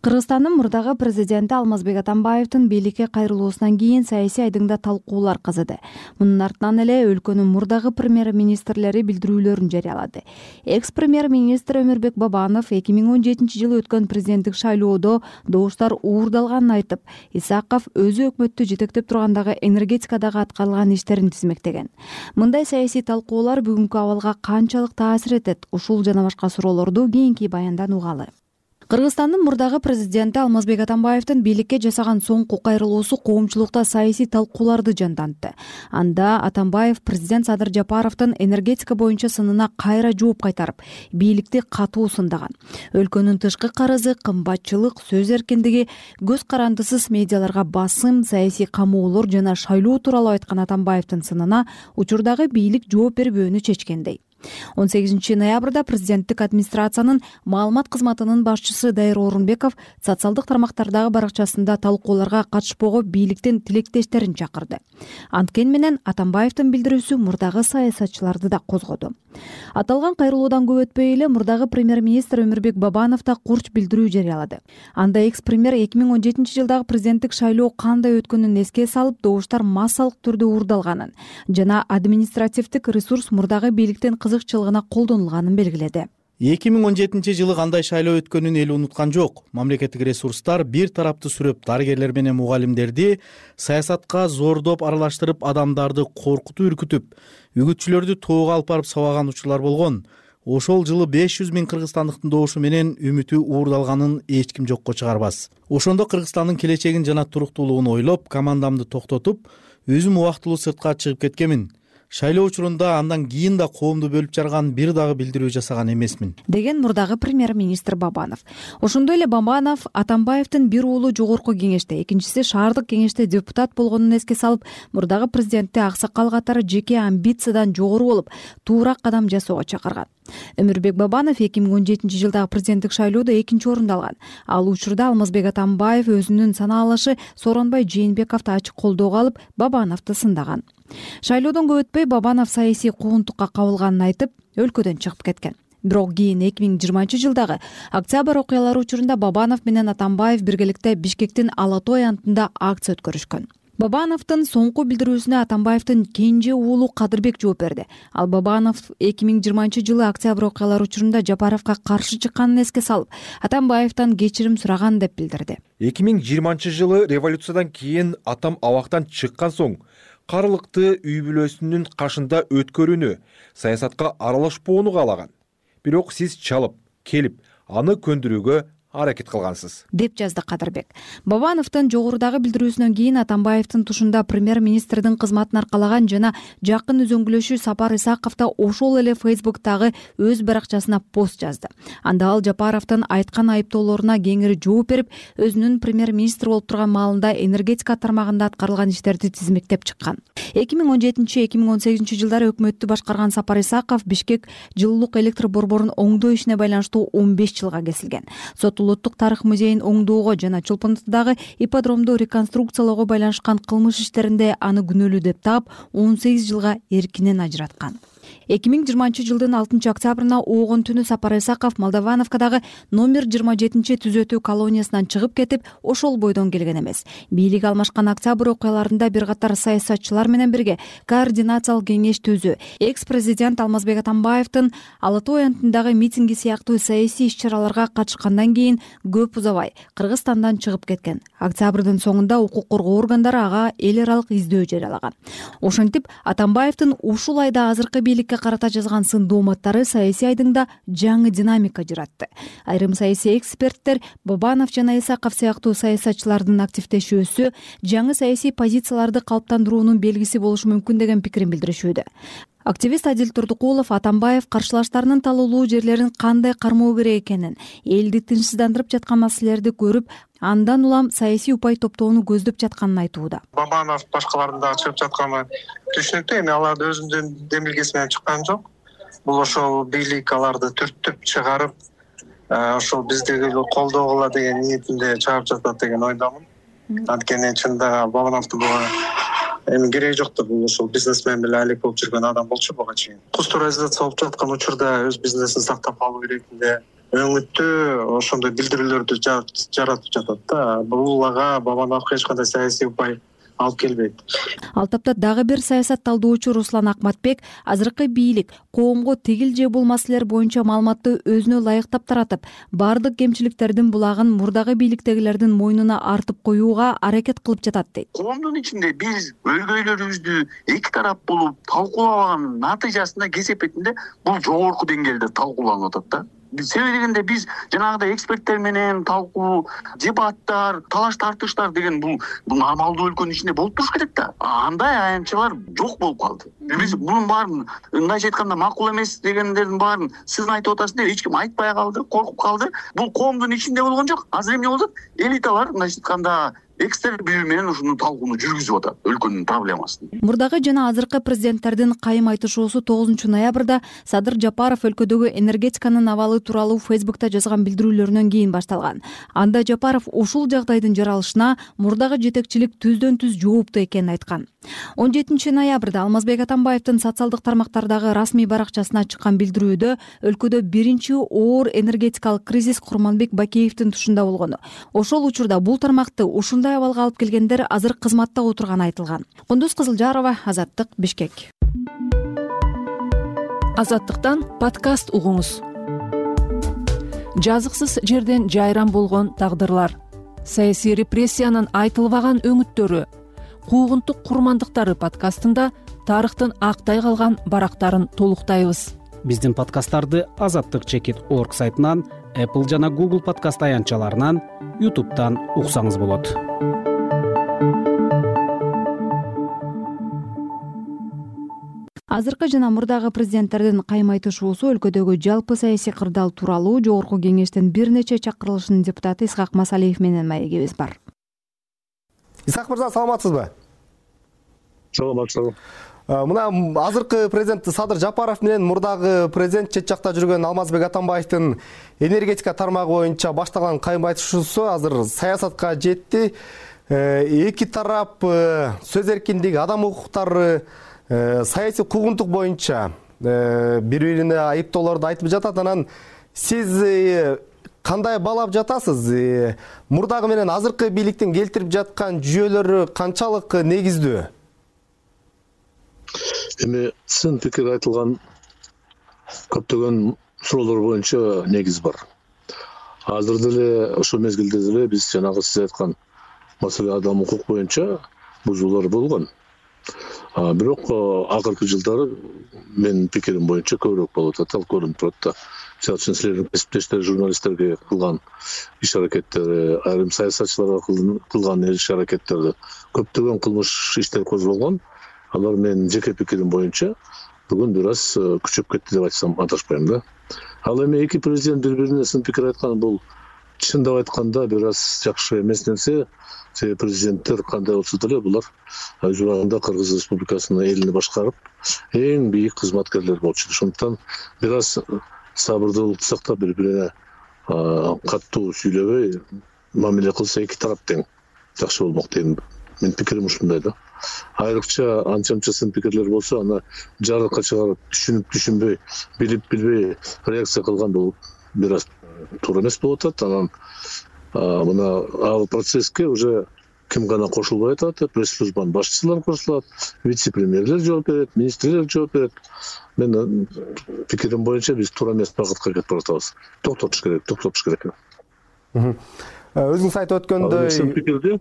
Кыргызстандын мурдагы президенти Алмазбек Атамбаевдин бийликке кайрылуусунан кийин саясий айдыңда талкуулар кызыды. Мунун артынан эле өлкөнүн мурдагы премьер-министрлери билдирүүлөрүн жарыялады. Экс-премьер-министр Өмүрбек Бабанов 2017-жылы өткөн президенттик шайлоодо добуштар уурдалганын айтып, Исаков өзү өкмөттү жетектеп тургандагы энергетикадагы аткарылган иштерин тизмектеген. Мындай саясий талкуулар бүгүнкү абалга канчалык таасир этет? Ушул жана башка суроолорду кийинки баяндан угалы. Кыргызстандын мурдагы президенти Алмазбек Атамбаевдин бийликке жасаган соңку кайрылуусу коомчулукта саясий талкууларды жандантты. Анда Атамбаев президент Садыр Жапаровдун энергетика боюнча сынына кайра жооп кайтарып, бийликти катуу сындаган. Өлкөнүн тышкы карызы, кымбатчылык, сөз эркиндиги, көз карандысыз медиаларга басым, саясий камоолор жана шайлоо тууралуу айткан Атамбаевдин сынына учурдагы бийлик жооп бербөөнү чечкендей. 18 ноябрда президенттик администрациянын маалымат кызматынын башчысы Дайыр Орунбеков социалдык тармактардагы баракчасында талкууларга катышпоого бийликтин тилектештерин чакырды. Анткени менен Атамбаевдин билдирүүсү мурдагы саясатчыларды да козгоду. Аталган кайрылуудан көп өтпөй эле мурдагы премьер-министр Өмүрбек Бабанов да курч билдирүү жарыялады. Анда экс-премьер 2017 жылдагы президенттик шайлоо кандай өткөнүн эске салып, добуштар массалык түрдө уурдалганын жана административдик ресурс мурдагы бийликтин кызыкчылыгына колдонулганын белгиледи. 2017 жылы кандай шайлоо өткөнүн эл унуткан жок. Мамлекеттик ресурстар бир тарапты сүрөп, дарыгерлер менен мугалимдерди саясатка зордоп аралаштырып, адамдарды коркутуп, үркүтүп, үгүтчүлөрдү тоого алып барып сабаган учурлар болгон. ошол жылы 500 000 кыргызстандыктын добушу менен үмүтү уурдалганын эч ким жокко чыгарбас. Ошондо Кыргызстандын келечегин жана туруктуулугун ойлоп, командамды токтотуп, өзүм убактылуу сыртка чыгып кеткенмин. Шайлоо учурунда андан кийин да коомду бөлүп жарган бир дагы билдирүү жасаган эмесмин, деген мурдагы премьер-министр Бабанов. Ошондой эле Бабанов Атамбаевдин бир уулу жогорку кеңеште, экинчиси шаардык кеңеште депутат болгонун эске салып, мурдагы президентти аксакал катары жеке амбициядан жогору болуп, туура кадам жасоого чакырган. Өмүрбек Бабанов 2017 жылдагы президенттик шайлоодо экинчи орунду алган. Ал учурда Алмазбек Атамбаев өзүнүн санаалашы Сооронбай Жээнбековду ачык колдоого алып, Бабановду сындаган. Шайлоодон көп өтпөй Бабанов саясий куугунтукка кабылганын айтып, өлкөдөн чыгып кеткен. Бирок кийин 2020 жылдагы октябрь окуялары учурунда Бабанов менен Атамбаев биргеликте Бишкектин Ала Той антында акция өткөрүшкөн. Бабановдун соңку билдирүүсүнө Атамбаевдин кенже уулу Кадырбек жооп берди. Ал Бабанов 2020 жылы октябрь окуялары учурунда Жапаровго каршы чыкканын эске салып, Атамбаевден кечирим сураган деп билдирди. 2020 жылы революциядан кийин атам абактан чыккан соң карлыкты үй бүлөсүнүн кашында өткөрүүнү, саясатка аралашпоону каалаган. Бирок сиз чалып, келип, аны көндүрүүгө аракет кылгансыз, деп жазды Кадырбек. Бабановдун жогорудагы билдирүүсүнөн кийин Атамбаевдин тушунда премьер-министрдин кызматын аркалаган жана жакын үзөңгүлөшү Сапар Исаков да ошол эле Фейсбуктагы өз баракчасына пост жазды. Анда ал Жапаровдун айткан айыптоолоруна кеңири жооп берип, өзүнүн премьер-министр болуп турган маалында энергетика тармагында аткарылган иштерди тизмектеп чыккан. 2017-2018 жылдары өкмөттү башкарган Сапар Исаков Бишкек жылуулук электр борборун оңдоо ишине байланыштуу 15 жылга кесилген. Улуттук тарых музейин оңдоого жана Чолпонтудагы ипподромду реконструкциялоого байланышкан кылмыш иштеринде аны күнөөлүү деп таап 18 жылга эркинен ажыраткан. 2020 жылдын 6 октябрына оогон түнү Сапар Исаков Молдовановкадагы номер 27 түзөтүү колониясынан чыгып кетип, ошол бойдон келген эмес. Бийлик алмашкан октябрь окуяларында бир катар саясатчылар менен бирге координациялык кеңеш түзүү, экс-президент Алмазбек Атамбаевдин Ала Той антындагы митинги сыяктуу саясий иш-чараларга катышкандан кийин көп узабай Кыргызстандан чыгып кеткен. Октябрдын соңунда укук коргоо органдары ага эл аралык издөө жарыялаган. Ошентип, Атамбаевдин ушул айда азыркы бийликке карата жазган сын дооматтары саясий айдыңда жаңы динамика жаратты. Айрым саясий эксперттер Бабанов жана Исаков сыяктуу саясатчылардын активдешүүсү жаңы саясий позицияларды калыптандыруунун белгиси болушу мүмкүн деген пикирин билдиришүүдө. Активист Адил Турдукулов Атамбаев каршылаштарынын талуулуу жерлерин кандай кармоо керек экенин, элди тынчсыздандырып жаткан маселелерди көрүп, андан улам саясий упай топтоону көздөп жатканын айтууда. Бабанов башкалардын дагы чыгып жатканы түшүнүктүү, эми алар өзүнүн демилгеси менен чыккан жок. Бул ошол бийлик аларды түртүп чыгарып, ошол биздеги колдогула деген ниетинде чыгарып жатат деген ойдомун. Анткени чындыгы Бабановдун эми кереги жок да, бул ошол бизнесмен менен алек болуп жүргөн адам болчу буга чейин. Кустурализация болуп жаткан учурда өз бизнесин сактап калуу керектинде өңүттүү ошондой билдирүүлөрдү жаратып жатат да. Бул ага Бабановго эч кандай саясий упай алып келбейт. Ал тапта дагы бир саясат талдоочу Руслан Акматбек азыркы бийлик коомго тигил же бул маселелер боюнча маалыматты өзүнө ылайыктап таратып, бардык кемчиликтердин булагын мурдагы бийликтегилердин мойнуна артып коюуга аракет кылып жатат дейт. Коомдун ичинде биз өлгөйлөрүбүздү эки тарап болуп талкуулабаганын натыйжасында кесепетинде бул жогорку деңгээлде талкууланып атат да. Себеби дегенде биз жанагыдай эксперттер менен талкуу, дебаттар, талаш тартыштар деген бул нормалдуу өлкөнүн ичинде болуп туруш керек да. Андай аянтчалар жок болуп калды. Биз мунун баарын мындайча айтканда макул эмес дегендердин баарын сиз айтып атасыз деп эч ким айтпай калды, коркуп калды. Бул коомдун ичинде болгон жок. Азыр эмне болду? Элиталар мындайча айтканда экстер бирөө менен ушуну талкууну жүргүзүп атат өлкөнүн проблемасын. Мурдагы жана азыркы президенттердин кайым айтышуусу 9 ноябрда Садыр Жапаров өлкөдөгү энергетиканын абалы тууралуу Фейсбукта жазган билдирүүлөрүнөн кийин башталган. Анда Жапаров ушул жагдайдын жаралышына мурдагы жетекчилик түздөн түз жооптуу экенин айткан. 17 ноябрда Алмазбек Атамбаевдин социалдык тармактардагы расмий баракчасына чыккан билдирүүдө өлкөдө биринчи оор энергетикалык кризис Курманбек Бакеевдин тушунда болгону, ошол учурда бул тармакты ушундай абалга алып келгендер азыр кызматта отурганы айтылган. Кундуз Кызылжарова, Азаттык, Бишкек. Азаттыктан подкаст угуңуз. Жазыксыз жерден жайран болгон тагдырлар, саясий репрессиянын айтылбаган өңүттөрү, куугунтук курмандыктары подкастында тарыхтын актай калган барактарын толуктайбыз. Биздин подкасттарды azattik.org сайтынан, Apple жана Google подкаст аянтчаларынан, YouTube'дан уксаңыз болот. Азыркы жана мурдагы президенттердин каймайтышуусу өлкөдөгү жалпы саясий кырдаал тууралуу Жогорку Кеңештин бир нече чакырылышынын депутаты Исхак Масалиев менен маегибиз бар. Исхак мырза, саламатсызбы? Саламатсызбы. Мына азыркы президент Садыр Жапаров менен мурдагы президент чет жакта жүргөн Алмазбек Атамбаевдин энергетика тармагы боюнча башталган каймайтышуусу азыр саясатка жетти. Эки тарап сөз эркиндиги, адам укуктары, саясий куугунтук боюнча бири-бирине айыптоолорду айтып жатат. Анан сиз кандай баалап жатасыз? Мурдагы менен азыркы бийликтин келтирип жаткан жүйөлөрү канчалык негиздүү? Эми сын пикир айтылган көптөгөн суроолор боюнча негиз бар. Азыр деле ошол мезгилде деле биз жанагы сиз айткан маселе адам укук боюнча бузуулар болгон. Бирок акыркы жылдары менин пикирим боюнча көбүрөөк болуп атат, ал көрүнүп турат да. Мисалы үчүн силердин кесиптештер, журналисттерге кылган иш аракеттери, айрым саясатчыларга кылган иш аракеттерди көптөгөн кылмыш иштер козголгон. Алар менин жеке пикирим боюнча бүгүн бир аз күчөп кетти деп айтсам адашпайм да. Ал эми эки президент бири-бирине сын пикир айткан бул чындап айтканда бир аз жакшы эмес нерсе. Себеби президенттер кандай болсо деле булар өз убагында Кыргыз Республикасынын элин башкарып, эң бийик кызматкерлер болчу. Ошондуктан бир аз сабырдуулукту сактап бири-бирине каттуу сүйлөбөй мамиле кылса эки тарап тең жакшы болмок дейм. Менин пикирим ушундай да. Айрыкча анча-мынча сын пикирлер болсо, аны жарыкка чыгарып, түшүнүп-түшүнбөй, билип-билбей реакция кылган бул бир аз туура эмес болуп атат. Анан мына ал процесске уже ким гана кошулбай атат, пресс-службанын башчылары кошулат, вице-премьерлер жооп берет, министрлер жооп берет. Менин пикирим боюнча биз туура эмес багытка кетип баратабыз. Токтотуш керек. Өзүңүз айтып өткөндөй, сын пикирди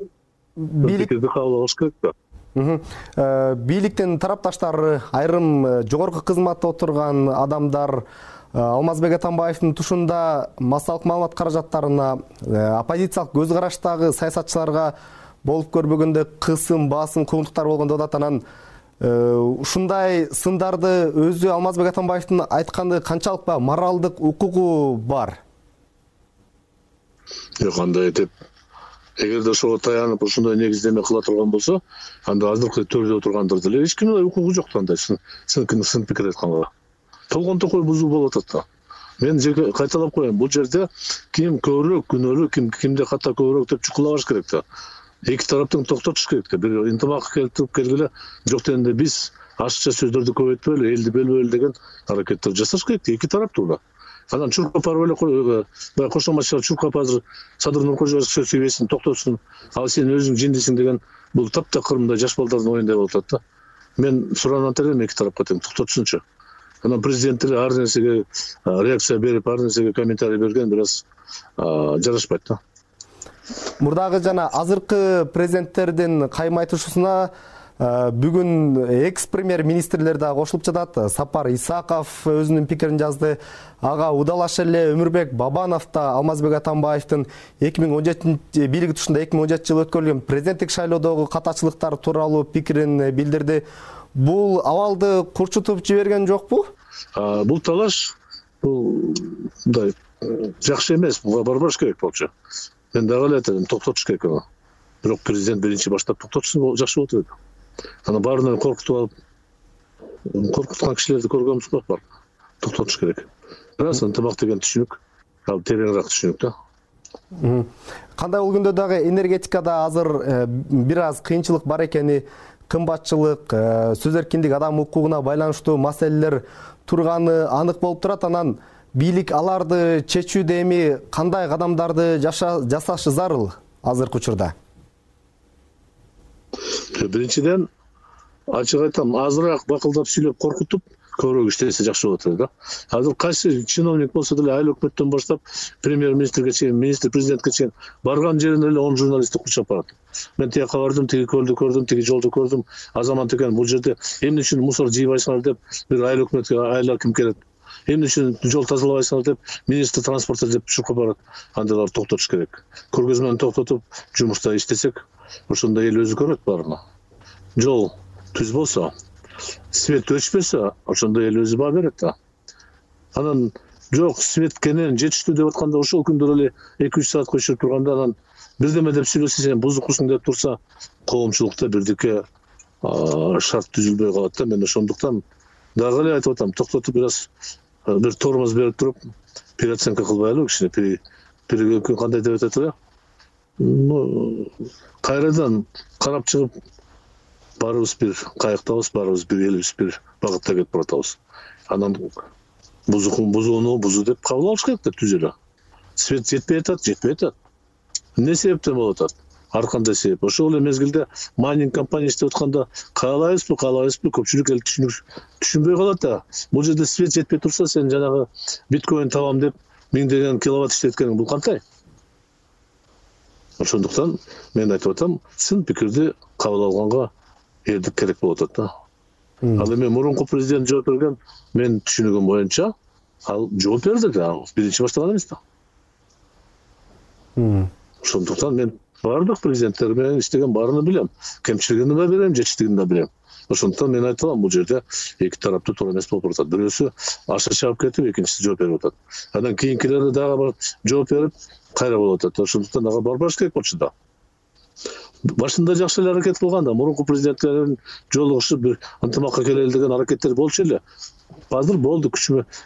кабыл алыш керек да. Бийликтин тарапташтары, айрым жогорку кызматта отурган адамдар Алмазбек Атамбаевдин тушунда массалык маалымат каражаттарына, оппозициялык көз караштагы саясатчыларга болуп көрбөгөндө кысым, басым, куугунтуктар болгон деп атат. Анан ушундай сындарды өзү Алмазбек Атамбаевдин айтканы канчалык моралдык укугу бар? Кандай деп, эгерде ошого таянып ушундай негиздеме кыла турган болсо, анда азыркы төрдө отургандар деле эч кимдин укугу жок андай сын пикир айтканга. Толгон токой бузуу болуп атат да. Мен жеке кайталап коеюн, бул жерде ким көбүрөөк күнөөлүү, кимде ката көбүрөөк деп чукулабаш керек да. Эки тараптын токтотуш керек да. Бир интимакка келтирип келгиле, жок дегенде биз ашыкча сөздөрдү көбөйтпөйлү, элди бөлбөйлү деген аракеттер жасаш керек. Эки тараптуу да. Анан Чуркапар эле кошоматчылар Чуркап азыр Садыр Нуркожоевич сөз сөйлөсүн, токтосун, ал сен өзүң жиндисиң деген бул таптакыр мындай жаш балдардын оюндай болуп атат да. Мен суранат элем эки тарапка тең токтотушунчу. Анан президенттер ар нерсеге реакция берип, ар нерсеге комментарий берген бир аз жарашпайт да. Мурдагы жана азыркы президенттердин каймайтышуусуна бүгүн экс-премьер-министрлер да кошулуп жатат. Сапар Исаков өзүнүн пикирин жазды. Ага удалаш эле Өмүрбек Бабанов да Алмазбек Атамбаевдин 2017 бийлиги тушунда 2017 жылы өткөрүлгөн президенттик шайлоодогу катачылыктар тууралуу пикирин билдирди. Бул абалды курчутуп жиберген жокпу? Бул талаш бул мындай жакшы эмес, буга барбаш керек болчу. Мен дагы эле айтам, токтотуш керек аны. Бирок президент биринчи баштап токтотушса жакшы болот эле. Аны баарынан коркутуп алып, коркуткан кишилерди көргөнбүз бар. Токтотуш керек. Бирок ынтымак деген түшүнүк, ал тереңирээк түшүнүк да. Кандай бул күндө дагы энергетикада азыр бир аз кыйынчылык бар экени, кымбатчылык, сөз эркиндиги, адам укугуна байланыштуу маселелер турганы анык болуп турат. Анан бийлик аларды чечүүдө эми кандай кадамдарды жасашы зарыл азыркы учурда? Биринчиден, ачык айтам, азыраак бакылдап сүйлөп коркутуп, көбүрөөк иштесе жакшы болот эле да. Азыр кайсы чиновник болсо деле айыл өкмөттөн баштап премьер-министрге чейин, министр, президентке чейин барган жеринде эле 10 журналистти курчап барат. Мен тияка бардым, тиги көлдү көрдүм, тиги жолду көрдүм. Азамат экен, бул жерде эмне үчүн мусор жыйбайсыңар деп бир айыл өкмөткө айыл аким келет. эмне үчүн жол тазалабайсыңар деп министр транспорта деп чуркап барат. Андайларды токтотуш керек. Көргөзмөнү токтотуп жумушта иштесек, ошондо эл өзү көрөт баарына. Жол түз болсо, свет өчпөсө, ошондо эл өзү баа берет да. Анан жок, свет кенен жетиштүү деп атканда ошол күндөр эле 2-3 саатка өчүрүп турганда анан бирдеме деп сүйлөсө, сен бузукусуң деп турса, коомчулукта бирдике шарт түзүлбөй калат да. Мен ошондуктан дагы эле айтып атам, токтотуп бир тормоз берип туруп, переоценка кылбайлы кичине. Перегөккөн кандай деп атат эле? Кайрадан карап чыгып, баарыбыз бир кайыктабыз, баарыбыз бир элибиз бир багытта кетип баратабыз. Анан бузууну бузуу деп кабыл алыш керек да, түз эле. Свет жетпей атат. Эмне себептен болуп атат? Ар кандай себеп. Ошол эле мезгилде майнинг компания иштеп атканда каалайбызбы, көпчүлүк эл түшүнбөй калат да. Бул жерде свет жетпей турса, сен жанагы биткоин табам деп миңдеген киловатт иштеткениң бул кандай? Ошондуктан мен айтып атам, сын пикирди кабыл алганга элдик керек болуп атат да. Ал эми мурунку президент жооп берген, мен түшүнүгүм боюнча, ал жооп берди, ал биринчи баштаган эмес да. Ошондуктан мен баардык президенттер менен иштеген баарына билем. Кемчилигин да билем, жетиштигин да билем. Ошондуктан мен айтам, бул жерде эки тараптуу туура эмес болуп атат. Бирөөсү аша чабып кетип, экинчиси жооп берип атат. Анан кийинкилери дагы жооп берип, кайра болуп атат. Ошондуктан ага барбаш керек болчу да. Башында жакшы эле аракет кылган да, мурунку президенттердин жолугушуп бир ынтымакка келели деген аракеттер болчу эле. Азыр болду,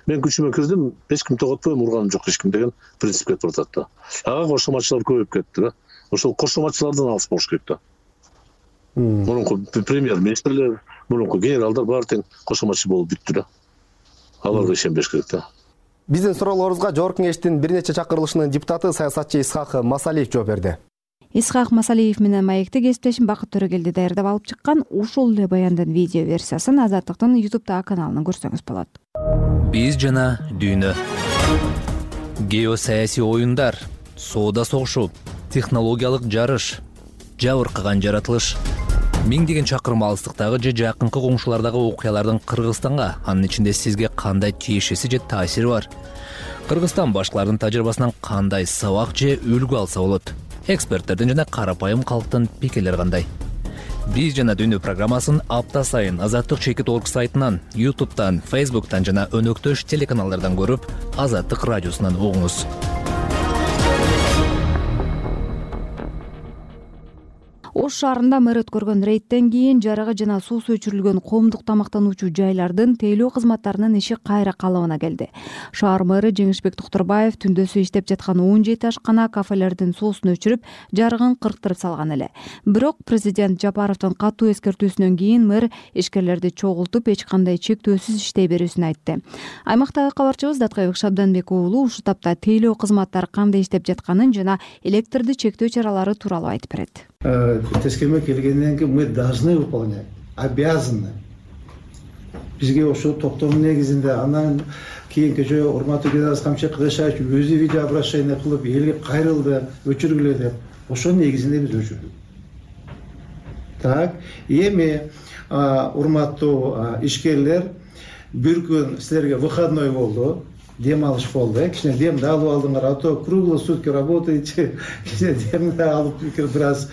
мен күчүмө кирдим, эч ким тоготпойм, урганым жок эч ким деген принцип кетип атат да. Ага кошоматчылар көбөйүп кетти да. Ошол кошоматчылардан алыс болуш керек да. Мурунку премьер-министрлер, мурунку генералдар баары тең кошоматчы болуп бүттү да. Аларга ишенбеш керек да. Биздин суроолорубузга Жогорку Кеңештин бир нече чакырылышынын депутаты саясатчы Исхак Масалиев жооп берди. Исхак Масалиев менен маекти кесиптешим Бакыт Төрөгелди даярдап алып чыккан ушул эле баяндын видео версиясын Азаттыктын YouTube каналынан көрсөңүз болот. Биз жана дүйнө. Геосаясий оюндар, соода согушу, технологиялык жарыш, жабыркаган жаратылыш. Миңдеген чакырым алыстыктагы же жакынкы коңшулардагы окуялардын Кыргызстанга, анын ичинде сизге кандай тиешеси же таасири бар? Кыргызстан башкалардын тажрыйбасынан кандай сабак же үлгү алса болот? Эксперттердин жана карапайым калктын пикирлери кандай? Биз жана дүйнө программасын апта сайын Азаттык.org сайтынан, YouTube'дан, Facebook'тан жана өнөктөш телеканалдардан көрүп, Азаттык радиосунан угуңуз. Ош шаарында мэр өткөргөн рейдтен кийин жарыгы жана суусу өчүрүлгөн коомдук тамактануучу жайлардын тейлөө кызматтарынын иши кайра калыбына келди. Шаар мэрі Жеңишбек Токтурбаев түндөсү иштеп жаткан 17 ашкана кафелердин суусун өчүрүп, жарыгын кырктырып салган эле. Бирок президент Жапаровдун катуу эскертүүсүнөн кийин мэр ишкерлерди чогултуп, эч кандай чектөөсүз иштей берүүсүн айтты. Аймактагы кабарчыбыз Даткайбек Шабданбек уулу ушул тапта тейлөө кызматтары кандай иштеп жатканын жана электрди чектөө чаралары тууралуу айтып берет. Тескеме келгенден кийин мы должны выполнять, обязаны. Бизге ошол токтомдун негизинде анан кийинки жолу урматтуу Геннадий Камчы Кыгышаевич өзү видео обращение кылып элге кайрылды, өчүргүлө деп. Ошонун негизинде биз өчүрдүк. Так, эми урматтуу ишкерлер, бир күн силерге выходной болду. Дем алыш болду, кичине демди алып алдыңар, а то круглые сутки работаете, кичине демди алып бир аз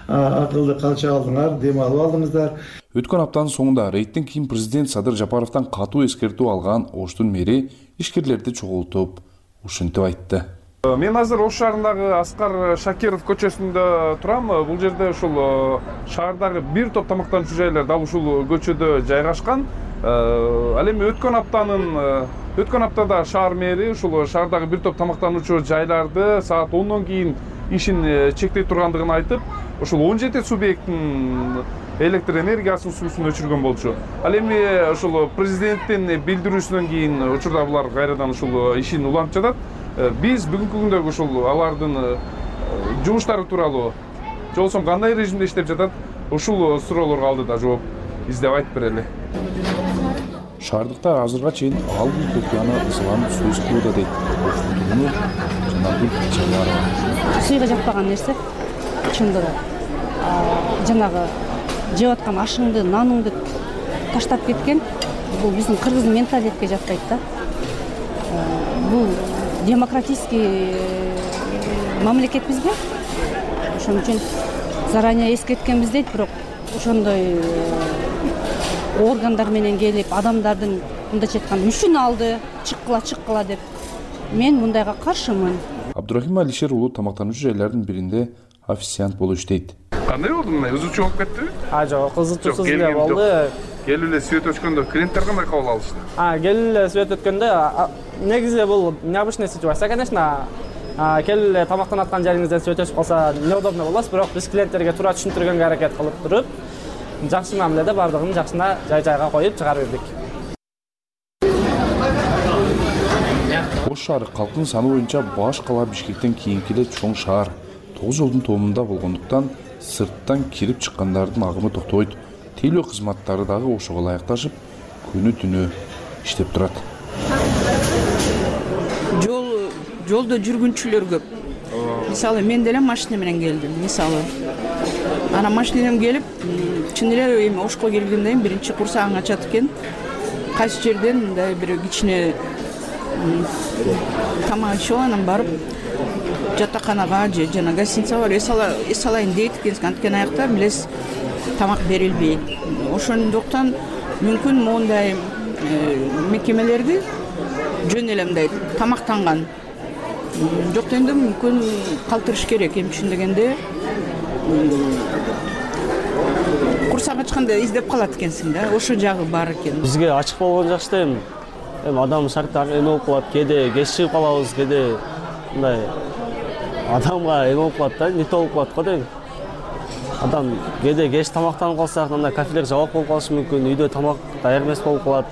акылды калча алдыңар, дем алып алдыңыздар. Өткөн аптанын соңунда рейдтен кийин президент Садыр Жапаровдон катуу эскертүү алган Оштун мэри ишкерлерди чогултуп, ушинтип айтты. Мен азыр Ош шаарындагы Аскар Шакиров көчөсүндө турам. Бул жерде ушул шаардагы бир топ тамактануучу жайлар дал ушул көчөдө жайгашкан. Ал эми өткөн аптада шаар мэри ушул шаардагы бир топ тамактануучу жайларды саат 10дон кийин ишин чектей тургандыгын айтып, ушул 17 субъекттин электр энергиясын суусун өчүргөн болчу. Ал эми ушул президенттин билдирүүсүнөн кийин учурда булар кайрадан ушул ишин улантып жатат. Биз бүгүнкү күндөгү ушул алардын жумуштары тууралуу, же болбосо кандай режимде иштеп жатат, ушул суроолорго алдыда жооп издеп айтып берели. Шаардыктар азырга чейин алгы көкөйаны ысыланып суу ичүүдө дейт. Ошондугуну жанагы чыгарат. Сууга жатпаган нерсе чындыгы. Жанагы жеп аткан ашыңды, наныңды таштап кеткен. Бул биздин кыргыздын менталитетке жатпайт да. бул демократический мамлекетпизби, ошон үчүн заранее эскерткенбиз дейт. Бирок ошондой органдар менен келип адамдардын мындайча айтканда мүчүн алды, чыккыла деп мен мындайга каршымын. Абдурахим Алишер уулу тамактануучу жайлардын биринде официант болуп иштейт. Кандай болду мындай кызуучу болуп кеттиби? Жок, кызуучусуз эле болду. Келип эле свет өчкөндө клиенттер кандай кабыл алышты? Келип эле свет өткөндө негизи бул необычная ситуация, конечно. Келип эле тамактанып аткан жериңизден свет өчүп калса неудобно болосуз, бирок биз клиенттерге туура түшүндүргөнгө аракет кылып туруп, жакшы мамиледе бардыгын жакшына жай-жайга коюп чыгарып бердик. Ош шаары калктын саны боюнча баш кала Бишкектен кийинки эле чоң шаар. 9 жолдун тоомунда болгондуктан сырттан кирип чыккандардын агымы токтобойт. Тейлөө кызматтары дагы ошого ылайыкташып, күнү-түнү иштеп турат. Жолдо жүргүнчүлөр көп. Мисалы мен деле машина менен келдим. Мисалы ана машинем келип, чын эле эми Ошко келгенден кийин биринчи курсагың ачат экен. Кайсы жерден мындай бир кичине тамак ичип анан барып жатаканага же жана гостиница бар эс алайын дейт экенсиң. Анткени аякта билесиз тамак берилбейт. Ошондуктан мүмкүн мондай мекемелерди жөн эле мындай тамактанган жок дегенде мүмкүн калтырыш керек. Эми үчүн дегенде курсак ачканда издеп калат экенсиң да, ошо жагы бар экен. Бизге ачык болгон жакшы да эми адам шарттары эме болуп калат, кээде кеч чыгып калабыз, кээде мындай адамга эме болуп калат да, не то болуп калат го дейм. Адам кээде кеч тамактанып калсак, мындай кафелер жабык болуп калышы мүмкүн, үйдө тамак даяр эмес болуп калат.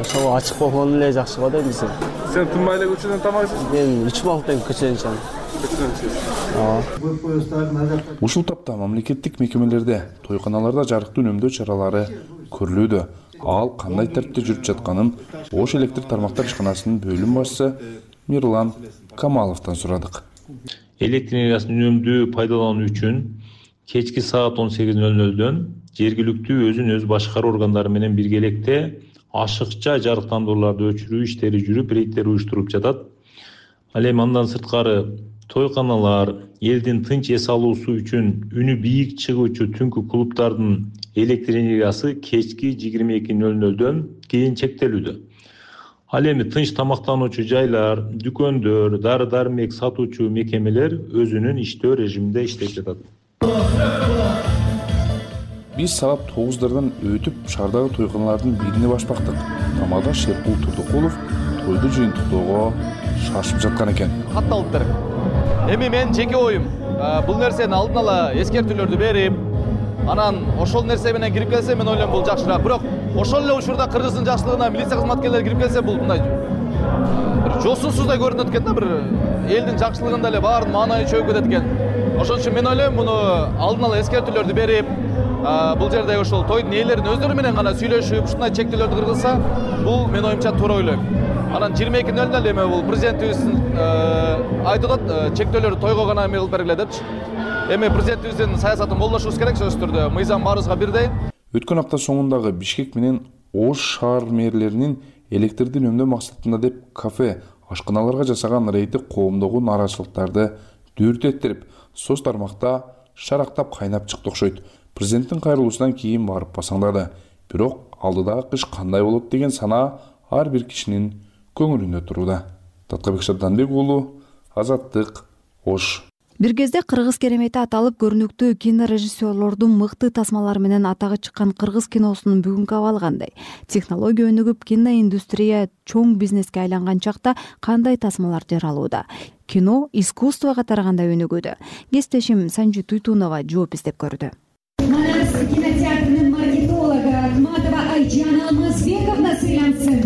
Ошого ачык болгон эле жакшы го дейм бизге. Сен тынбай эле көчөдөн тамак ичесиң? Мен ичип алып көчөдөн ичем. Ушул тапта мамлекеттик мекемелерде, тойканаларда жарыктуу үнөмдөө чаралары көрүлүүдө. Ал кандай тартипте жүрүп жатканын Ош электр тармактар ишканасынын бөлүм башчысы Мирлан Камаловдон сурадык. Электр энергиясын үнөмдүү пайдалануу үчүн кечки саат 18:00дөн жергиликтүү өзүн өзү башкаруу органдары менен биргеликте ашыкча жарыктандырууларды өчүрүү иштери жүрүп, рейдтер уюштуруп жатат. Ал эми андан сырткары тойканалар, элдин тынч эс алуусу үчүн үнү бийик чыгуучу түнкү клубдардын электр энергиясы кечки 22:00дөн кийин чектелүүдө. Ал эми тынч тамактануучу жайлар, дүкөндөр, дары-дармек сатуучу мекемелер өзүнүн иштөө режиминде иштеп жатат. Биз саат 9дардан өтүп шаардагы тойканалардын бирине башпактык. Тамада Шерпул Турдукулов тойду жыйынтыктоого шашып жаткан экен. Катталыптыр. Эми мен жеке оюм, бул нерсени алдын ала эскертүүлөрдү берип, анан ошол нерсе менен кирип келсе мен ойлойм бул жакшыраак. Бирок ошол эле учурда Кыргыздын жакшылыгына милиция кызматкерлери кирип келсе бул мындай бир жосунсуздай көрүнөт экен да, бир элдин жакшылыгында эле баардын маанайы чөгүп кетет экен. Ошон үчүн мен ойлойм муну алдын ала эскертүүлөрдү берип, бул жерде ошол тойдун ээлеринин өздөрү менен гана сүйлөшүп, ушундай чектөөлөрдү кыргызса, бул мен оюмча туура ойлойм. Анан 22:00 эме бул президентибиздин айтып атат, чектөөлөрдү тойго гана эме кылып бергиле депчи. Эми президентибиздин саясатын колдошубуз керек сөзсүз түрдө. Мыйзам баарыбызга бирдей. Өткөн апта соңундагы Бишкек менен Ош шаар мэрлеринин электрди үнөмдөө максатында деп кафе, ашканаларга жасаган рейди коомдогу нааразычылыктарды дүртеттирип, соц тармакта шарактап кайнап чыкты окшойт. Президенттин кайрылуусунан кийин барып басаңдады. Бирок алдыдагы кыш кандай болот деген санаа ар бир кишинин көңүлүндө турууда. Таткабек Шабданбек уулу, Азаттык, Ош. Бир кезде кыргыз керемети аталып көрүнүктүү кинорежиссерлордун мыкты тасмалары менен атагы чыккан кыргыз киносунун бүгүнкү абалы кандай? Технология өнүгүп, киноиндустрия чоң бизнеске айланган чакта кандай тасмалар жаралууда? Кино искусствого тарагандай өнүгүүдө. Кесиптешим Санжи Туйтунова жооп издеп көрдү. Манас кинотеатрынын маркетологу Ахматова Айжана Алмазбековна сыйлансын.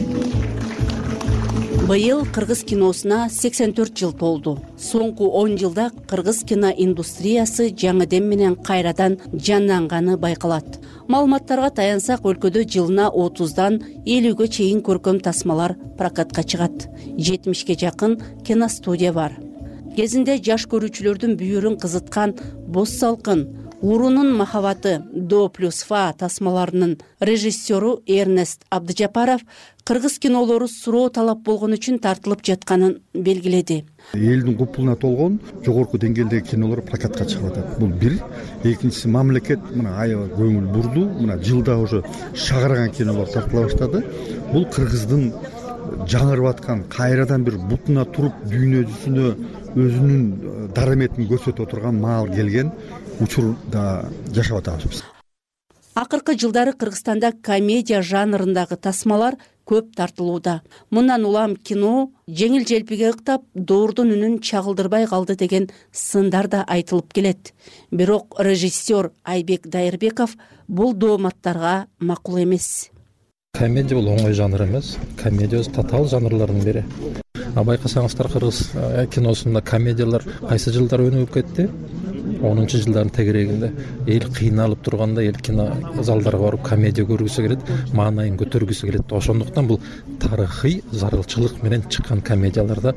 Быйыл кыргыз киносуна 84 жыл толду. Соңку 10 жылда кыргыз киноиндустриясы жаңы дем менен кайрадан жанданганы байкалат. Маалыматтарга таянсак, өлкөдө жылына 30дан 50ге чейин көркөм тасмалар прокатка чыгат. 70ке жакын киностудия бар. Кезинде жаш көрүүчүлөрдүн бүйүрүн кызыткан Боз салкын, Урунун махабаты до плюс фа тасмаларынын режиссеру Эрнест Абдыжапаров кыргыз кинолору суроо талап болгон үчүн тартылып жатканын белгиледи. Элдин купулуна толгон жогорку деңгээлдеги кинолор прокатка чыгып атат. Бул бир. Экинчиси, мамлекет мына аябай көңүл бурду. Мына жылда уже шагарган кинолор тартыла баштады. Бул кыргыздын жаңырып аткан, кайрадан бир бутуна туруп дүйнө жүзүнө өзүнүн дараметин көрсөтүп отурган маал келген учурда жашап атабыз. Акыркы жылдары Кыргызстанда комедия жанрындагы тасмалар көп тартылууда. Мындан улам кино жеңил желпиге ыктап, доордун үнүн чагылдырбай калды деген сындар да айтылып келет. Бирок режиссер Айбек Дайырбеков бул дооматтарга макул эмес. Комедия бул оңой жанр эмес. Комедия татаал жанрлардын бири. Байкасаңыздар, кыргыз киносунда комедиялар кайсы жылдары өнүгүп кетти? 10-жылдардын тегерегинде эл кыйналып турганда эл кино залдарга барып комедия көргүсү келет, маанайын көтөргүсү келет. Ошондуктан бул тарыхый зарылчылык менен чыккан комедияларда.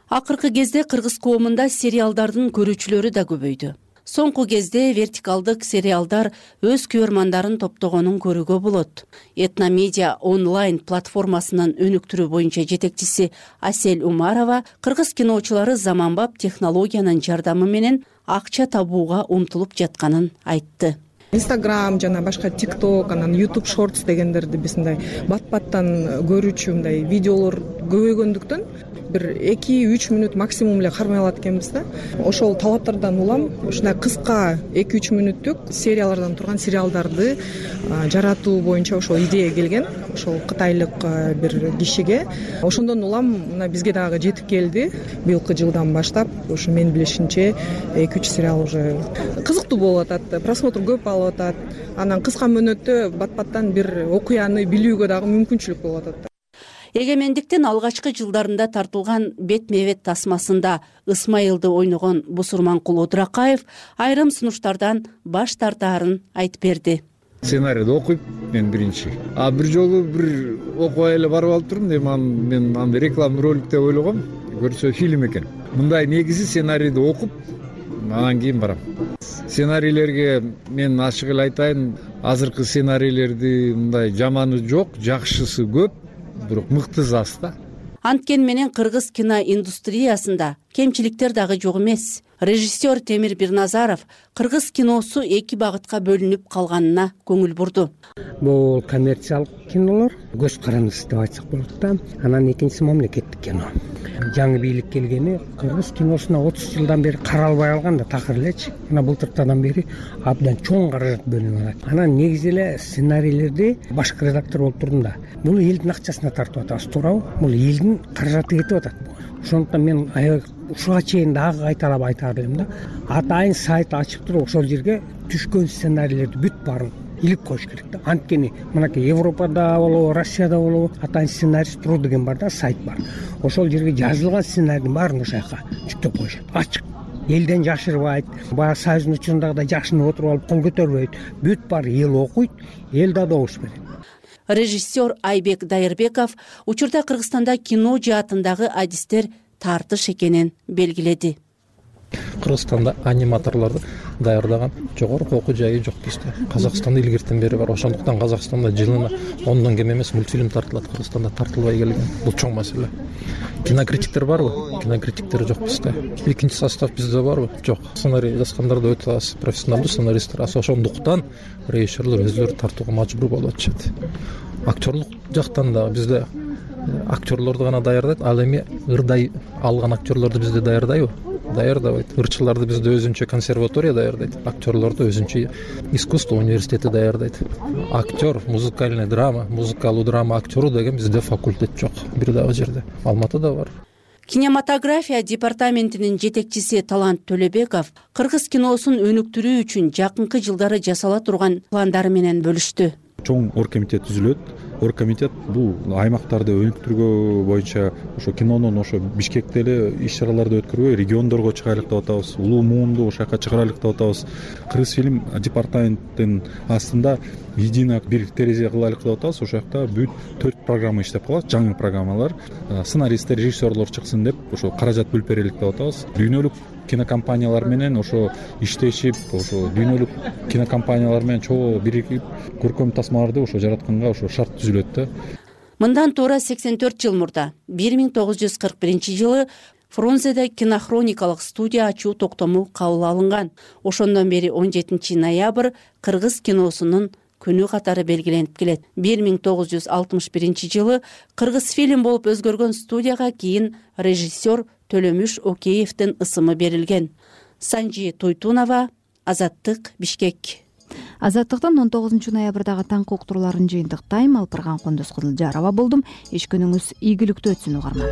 Акыркы кезде кыргыз коомунда сериалдардын көрүүчүлөрү да көбөйдү. Соңку кезде вертикалдык сериалдар өз көрөрмандарын топтогонун көрүүгө болот. Этномедиа онлайн платформасынын өнүктүрүү боюнча жетекчиси Асель Умарова кыргыз киночулары заманбап технологиянын жардамы менен акча табууга умтулуп жатканын айтты. Instagram жана башка TikTok, анан YouTube Shorts дегендерди биз мындай бат-баттан көрүүчү мындай видеолор көбөйгөндүктөн бир 2-3 мүнөт максимум эле кармай алат экенбиз да. Ошол талаптардан улам ушундай кыска 2-3 мүнөттүк сериялардан турган сериалдарды жаратуу боюнча ошол идея келген. Ошол кытайлык бир кишиге. Ошондон улам мына бизге дагы жетип келди. Быйылкы жылдан баштап ушу мен билишимче 2-3 сериал уже кызыктуу болуп атат, просмотр көп алып атат. Анан кыска мөөнөттө бат-баттан бир окуяны билүүгө дагы мүмкүнчүлүк болуп атат. Эгемендиктин алгачкы жылдарында тартылган бетме-бет тасмасында Ысмайылды ойногон Бусурманкул Одуракаев айрым сунуштардан баш тартаарын айтып берди. Сценарийди окуйт мен биринчи. Бир жолу бир окубай эле барып алып турдум, мен аны рекламный ролик деп ойлогом, көрсө фильм экен. Мындай негизи сценарийди окуп, анан кийин барам. Сценарийлерге мен ачык эле айтайын, азыркы сценарийлерди мындай жаманы жок, жакшысы көп. Бирок мыктысы аз да. Анткени менен кыргыз кино индустриясында кемчиликтер дагы жок эмес. Режиссер Темир Бирназаров кыргыз киносу эки багытка бөлүнүп калганына көңүл бурду. Бул коммерциялык кинолор, көз карандысы деп айтсак болот да. Анан экинчиси мамлекеттик кино. Жаңы бийлик келгени кыргыз киносуна 30 жылдан бери каралбай калган да такыр элечи. Мына былтыртадан бери абдан чоң каражат бөлүнүп атат. Анан негизи эле сценарийлерди башкы редактор болуп турдум да. Бул элдин акчасына тартып атабыз, туурабы? Бул элдин каражаты кетип атат. Ошондуктан мен аябай ушуга чейин дагы кайталап айтар элем да. Атайын сайт ачып туруп ошол жерге түшкөн сценарийлерди бүт баарын илип коюш керек да. Анткени мынакей Европада болобу, Россияда болобу атайын сценарист.ру деген бар да, сайт бар. Ошол жерге жазылган сценарийдин баарын ошол жака жүктөп коюшат. Ачык. Элден жашырбайт. Баягы союздун учурундагыдай жакшынып отуруп алып кол көтөрбөйт. Бүт бар эл окуйт, эл да добуш берет. Режиссер Айбек Дайырбеков учурда Кыргызстанда кино жаатындагы адистер тартыш экенин белгиледи. Кыргызстанда аниматорлорду даярдаган жогорку окуу жайы жок бизде. Казакстанда илгертен бери бар. Ошондуктан Казакстанда жылына 10 кем эмес мультфильм тартылат. Кыргызстанда тартылбай келген. Бул чоң маселе. Кинокритиктер барбы? Кинокритиктер жок бизде. Экинчи состав бизде барбы? Жок. Сценарий жазгандар да өтө аз, профессионалдуу сценаристтер аз. Ошондуктан режиссерлор өздөрү тартууга мажбур болуп атышат. Актерлук жактан да бизде актерлорду гана даярдайт. Ал эми ырдай алган актерлорду бизде даярдайбы? Даярдабайт. Ырчыларды бизде өзүнчө консерватория даярдайт. Актерлорду өзүнчө искусство университети даярдайт. Актер, музыкальный драма, музыкалуу драма актеру деген бизде факультет жок. Бир дагы жерде. Алматыда бар. Кинематография департаментинин жетекчиси Талант Төлөбеков кыргыз киносун өнүктүрүү үчүн жакынкы жылдары жасала турган пландары менен бөлүштү. Чоң оргкомитет түзүлөт. Оргкомитет бул аймактарды өнүктүрүү боюнча ошо кинонун ошо Бишкекте эле иш-чараларды өткөрбөй региондорго чыгайлык деп атабыз. Улуу муунду ошол жака чыгарайлык деп атабыз. Кыргызфильм департаменттин астында едино бир терезе кылайлык деп атабыз. Ошол жакта бүт 4 программа иштеп калат, жаңы программалар. Сценаристтер, режиссерлор чыксын деп ошо каражат бөлүп берелик деп атабыз. Дүйнөлүк кинокомпаниялар менен ошо иштешип, ошо дүйнөлүк кинокомпаниялар менен чогуу биригип көркөм тасмаларды ошо жаратканга ошо шарт түзүлөт да. Мындан туура 84 жыл мурда 1941 жылы Фрунзеде кинохроникалык студия ачуу токтому кабыл алынган. Ошондон бери 17 ноябрь кыргыз киносунун күнү катары белгиленип келет. 1961 жылы кыргыз фильм болуп өзгөргөн студияга кийин режиссер Төлөмүш Океевдин ысымы берилген. Санжи Туйтунова, Азаттык, Бишкек. Азаттыктан 19 ноябрдагы таңкы уктурууларын жыйынтыктайм. Алпырган Кондос Кызылжарова болдум. Эч күнүңүз ийгиликтүү өтсүн угарман.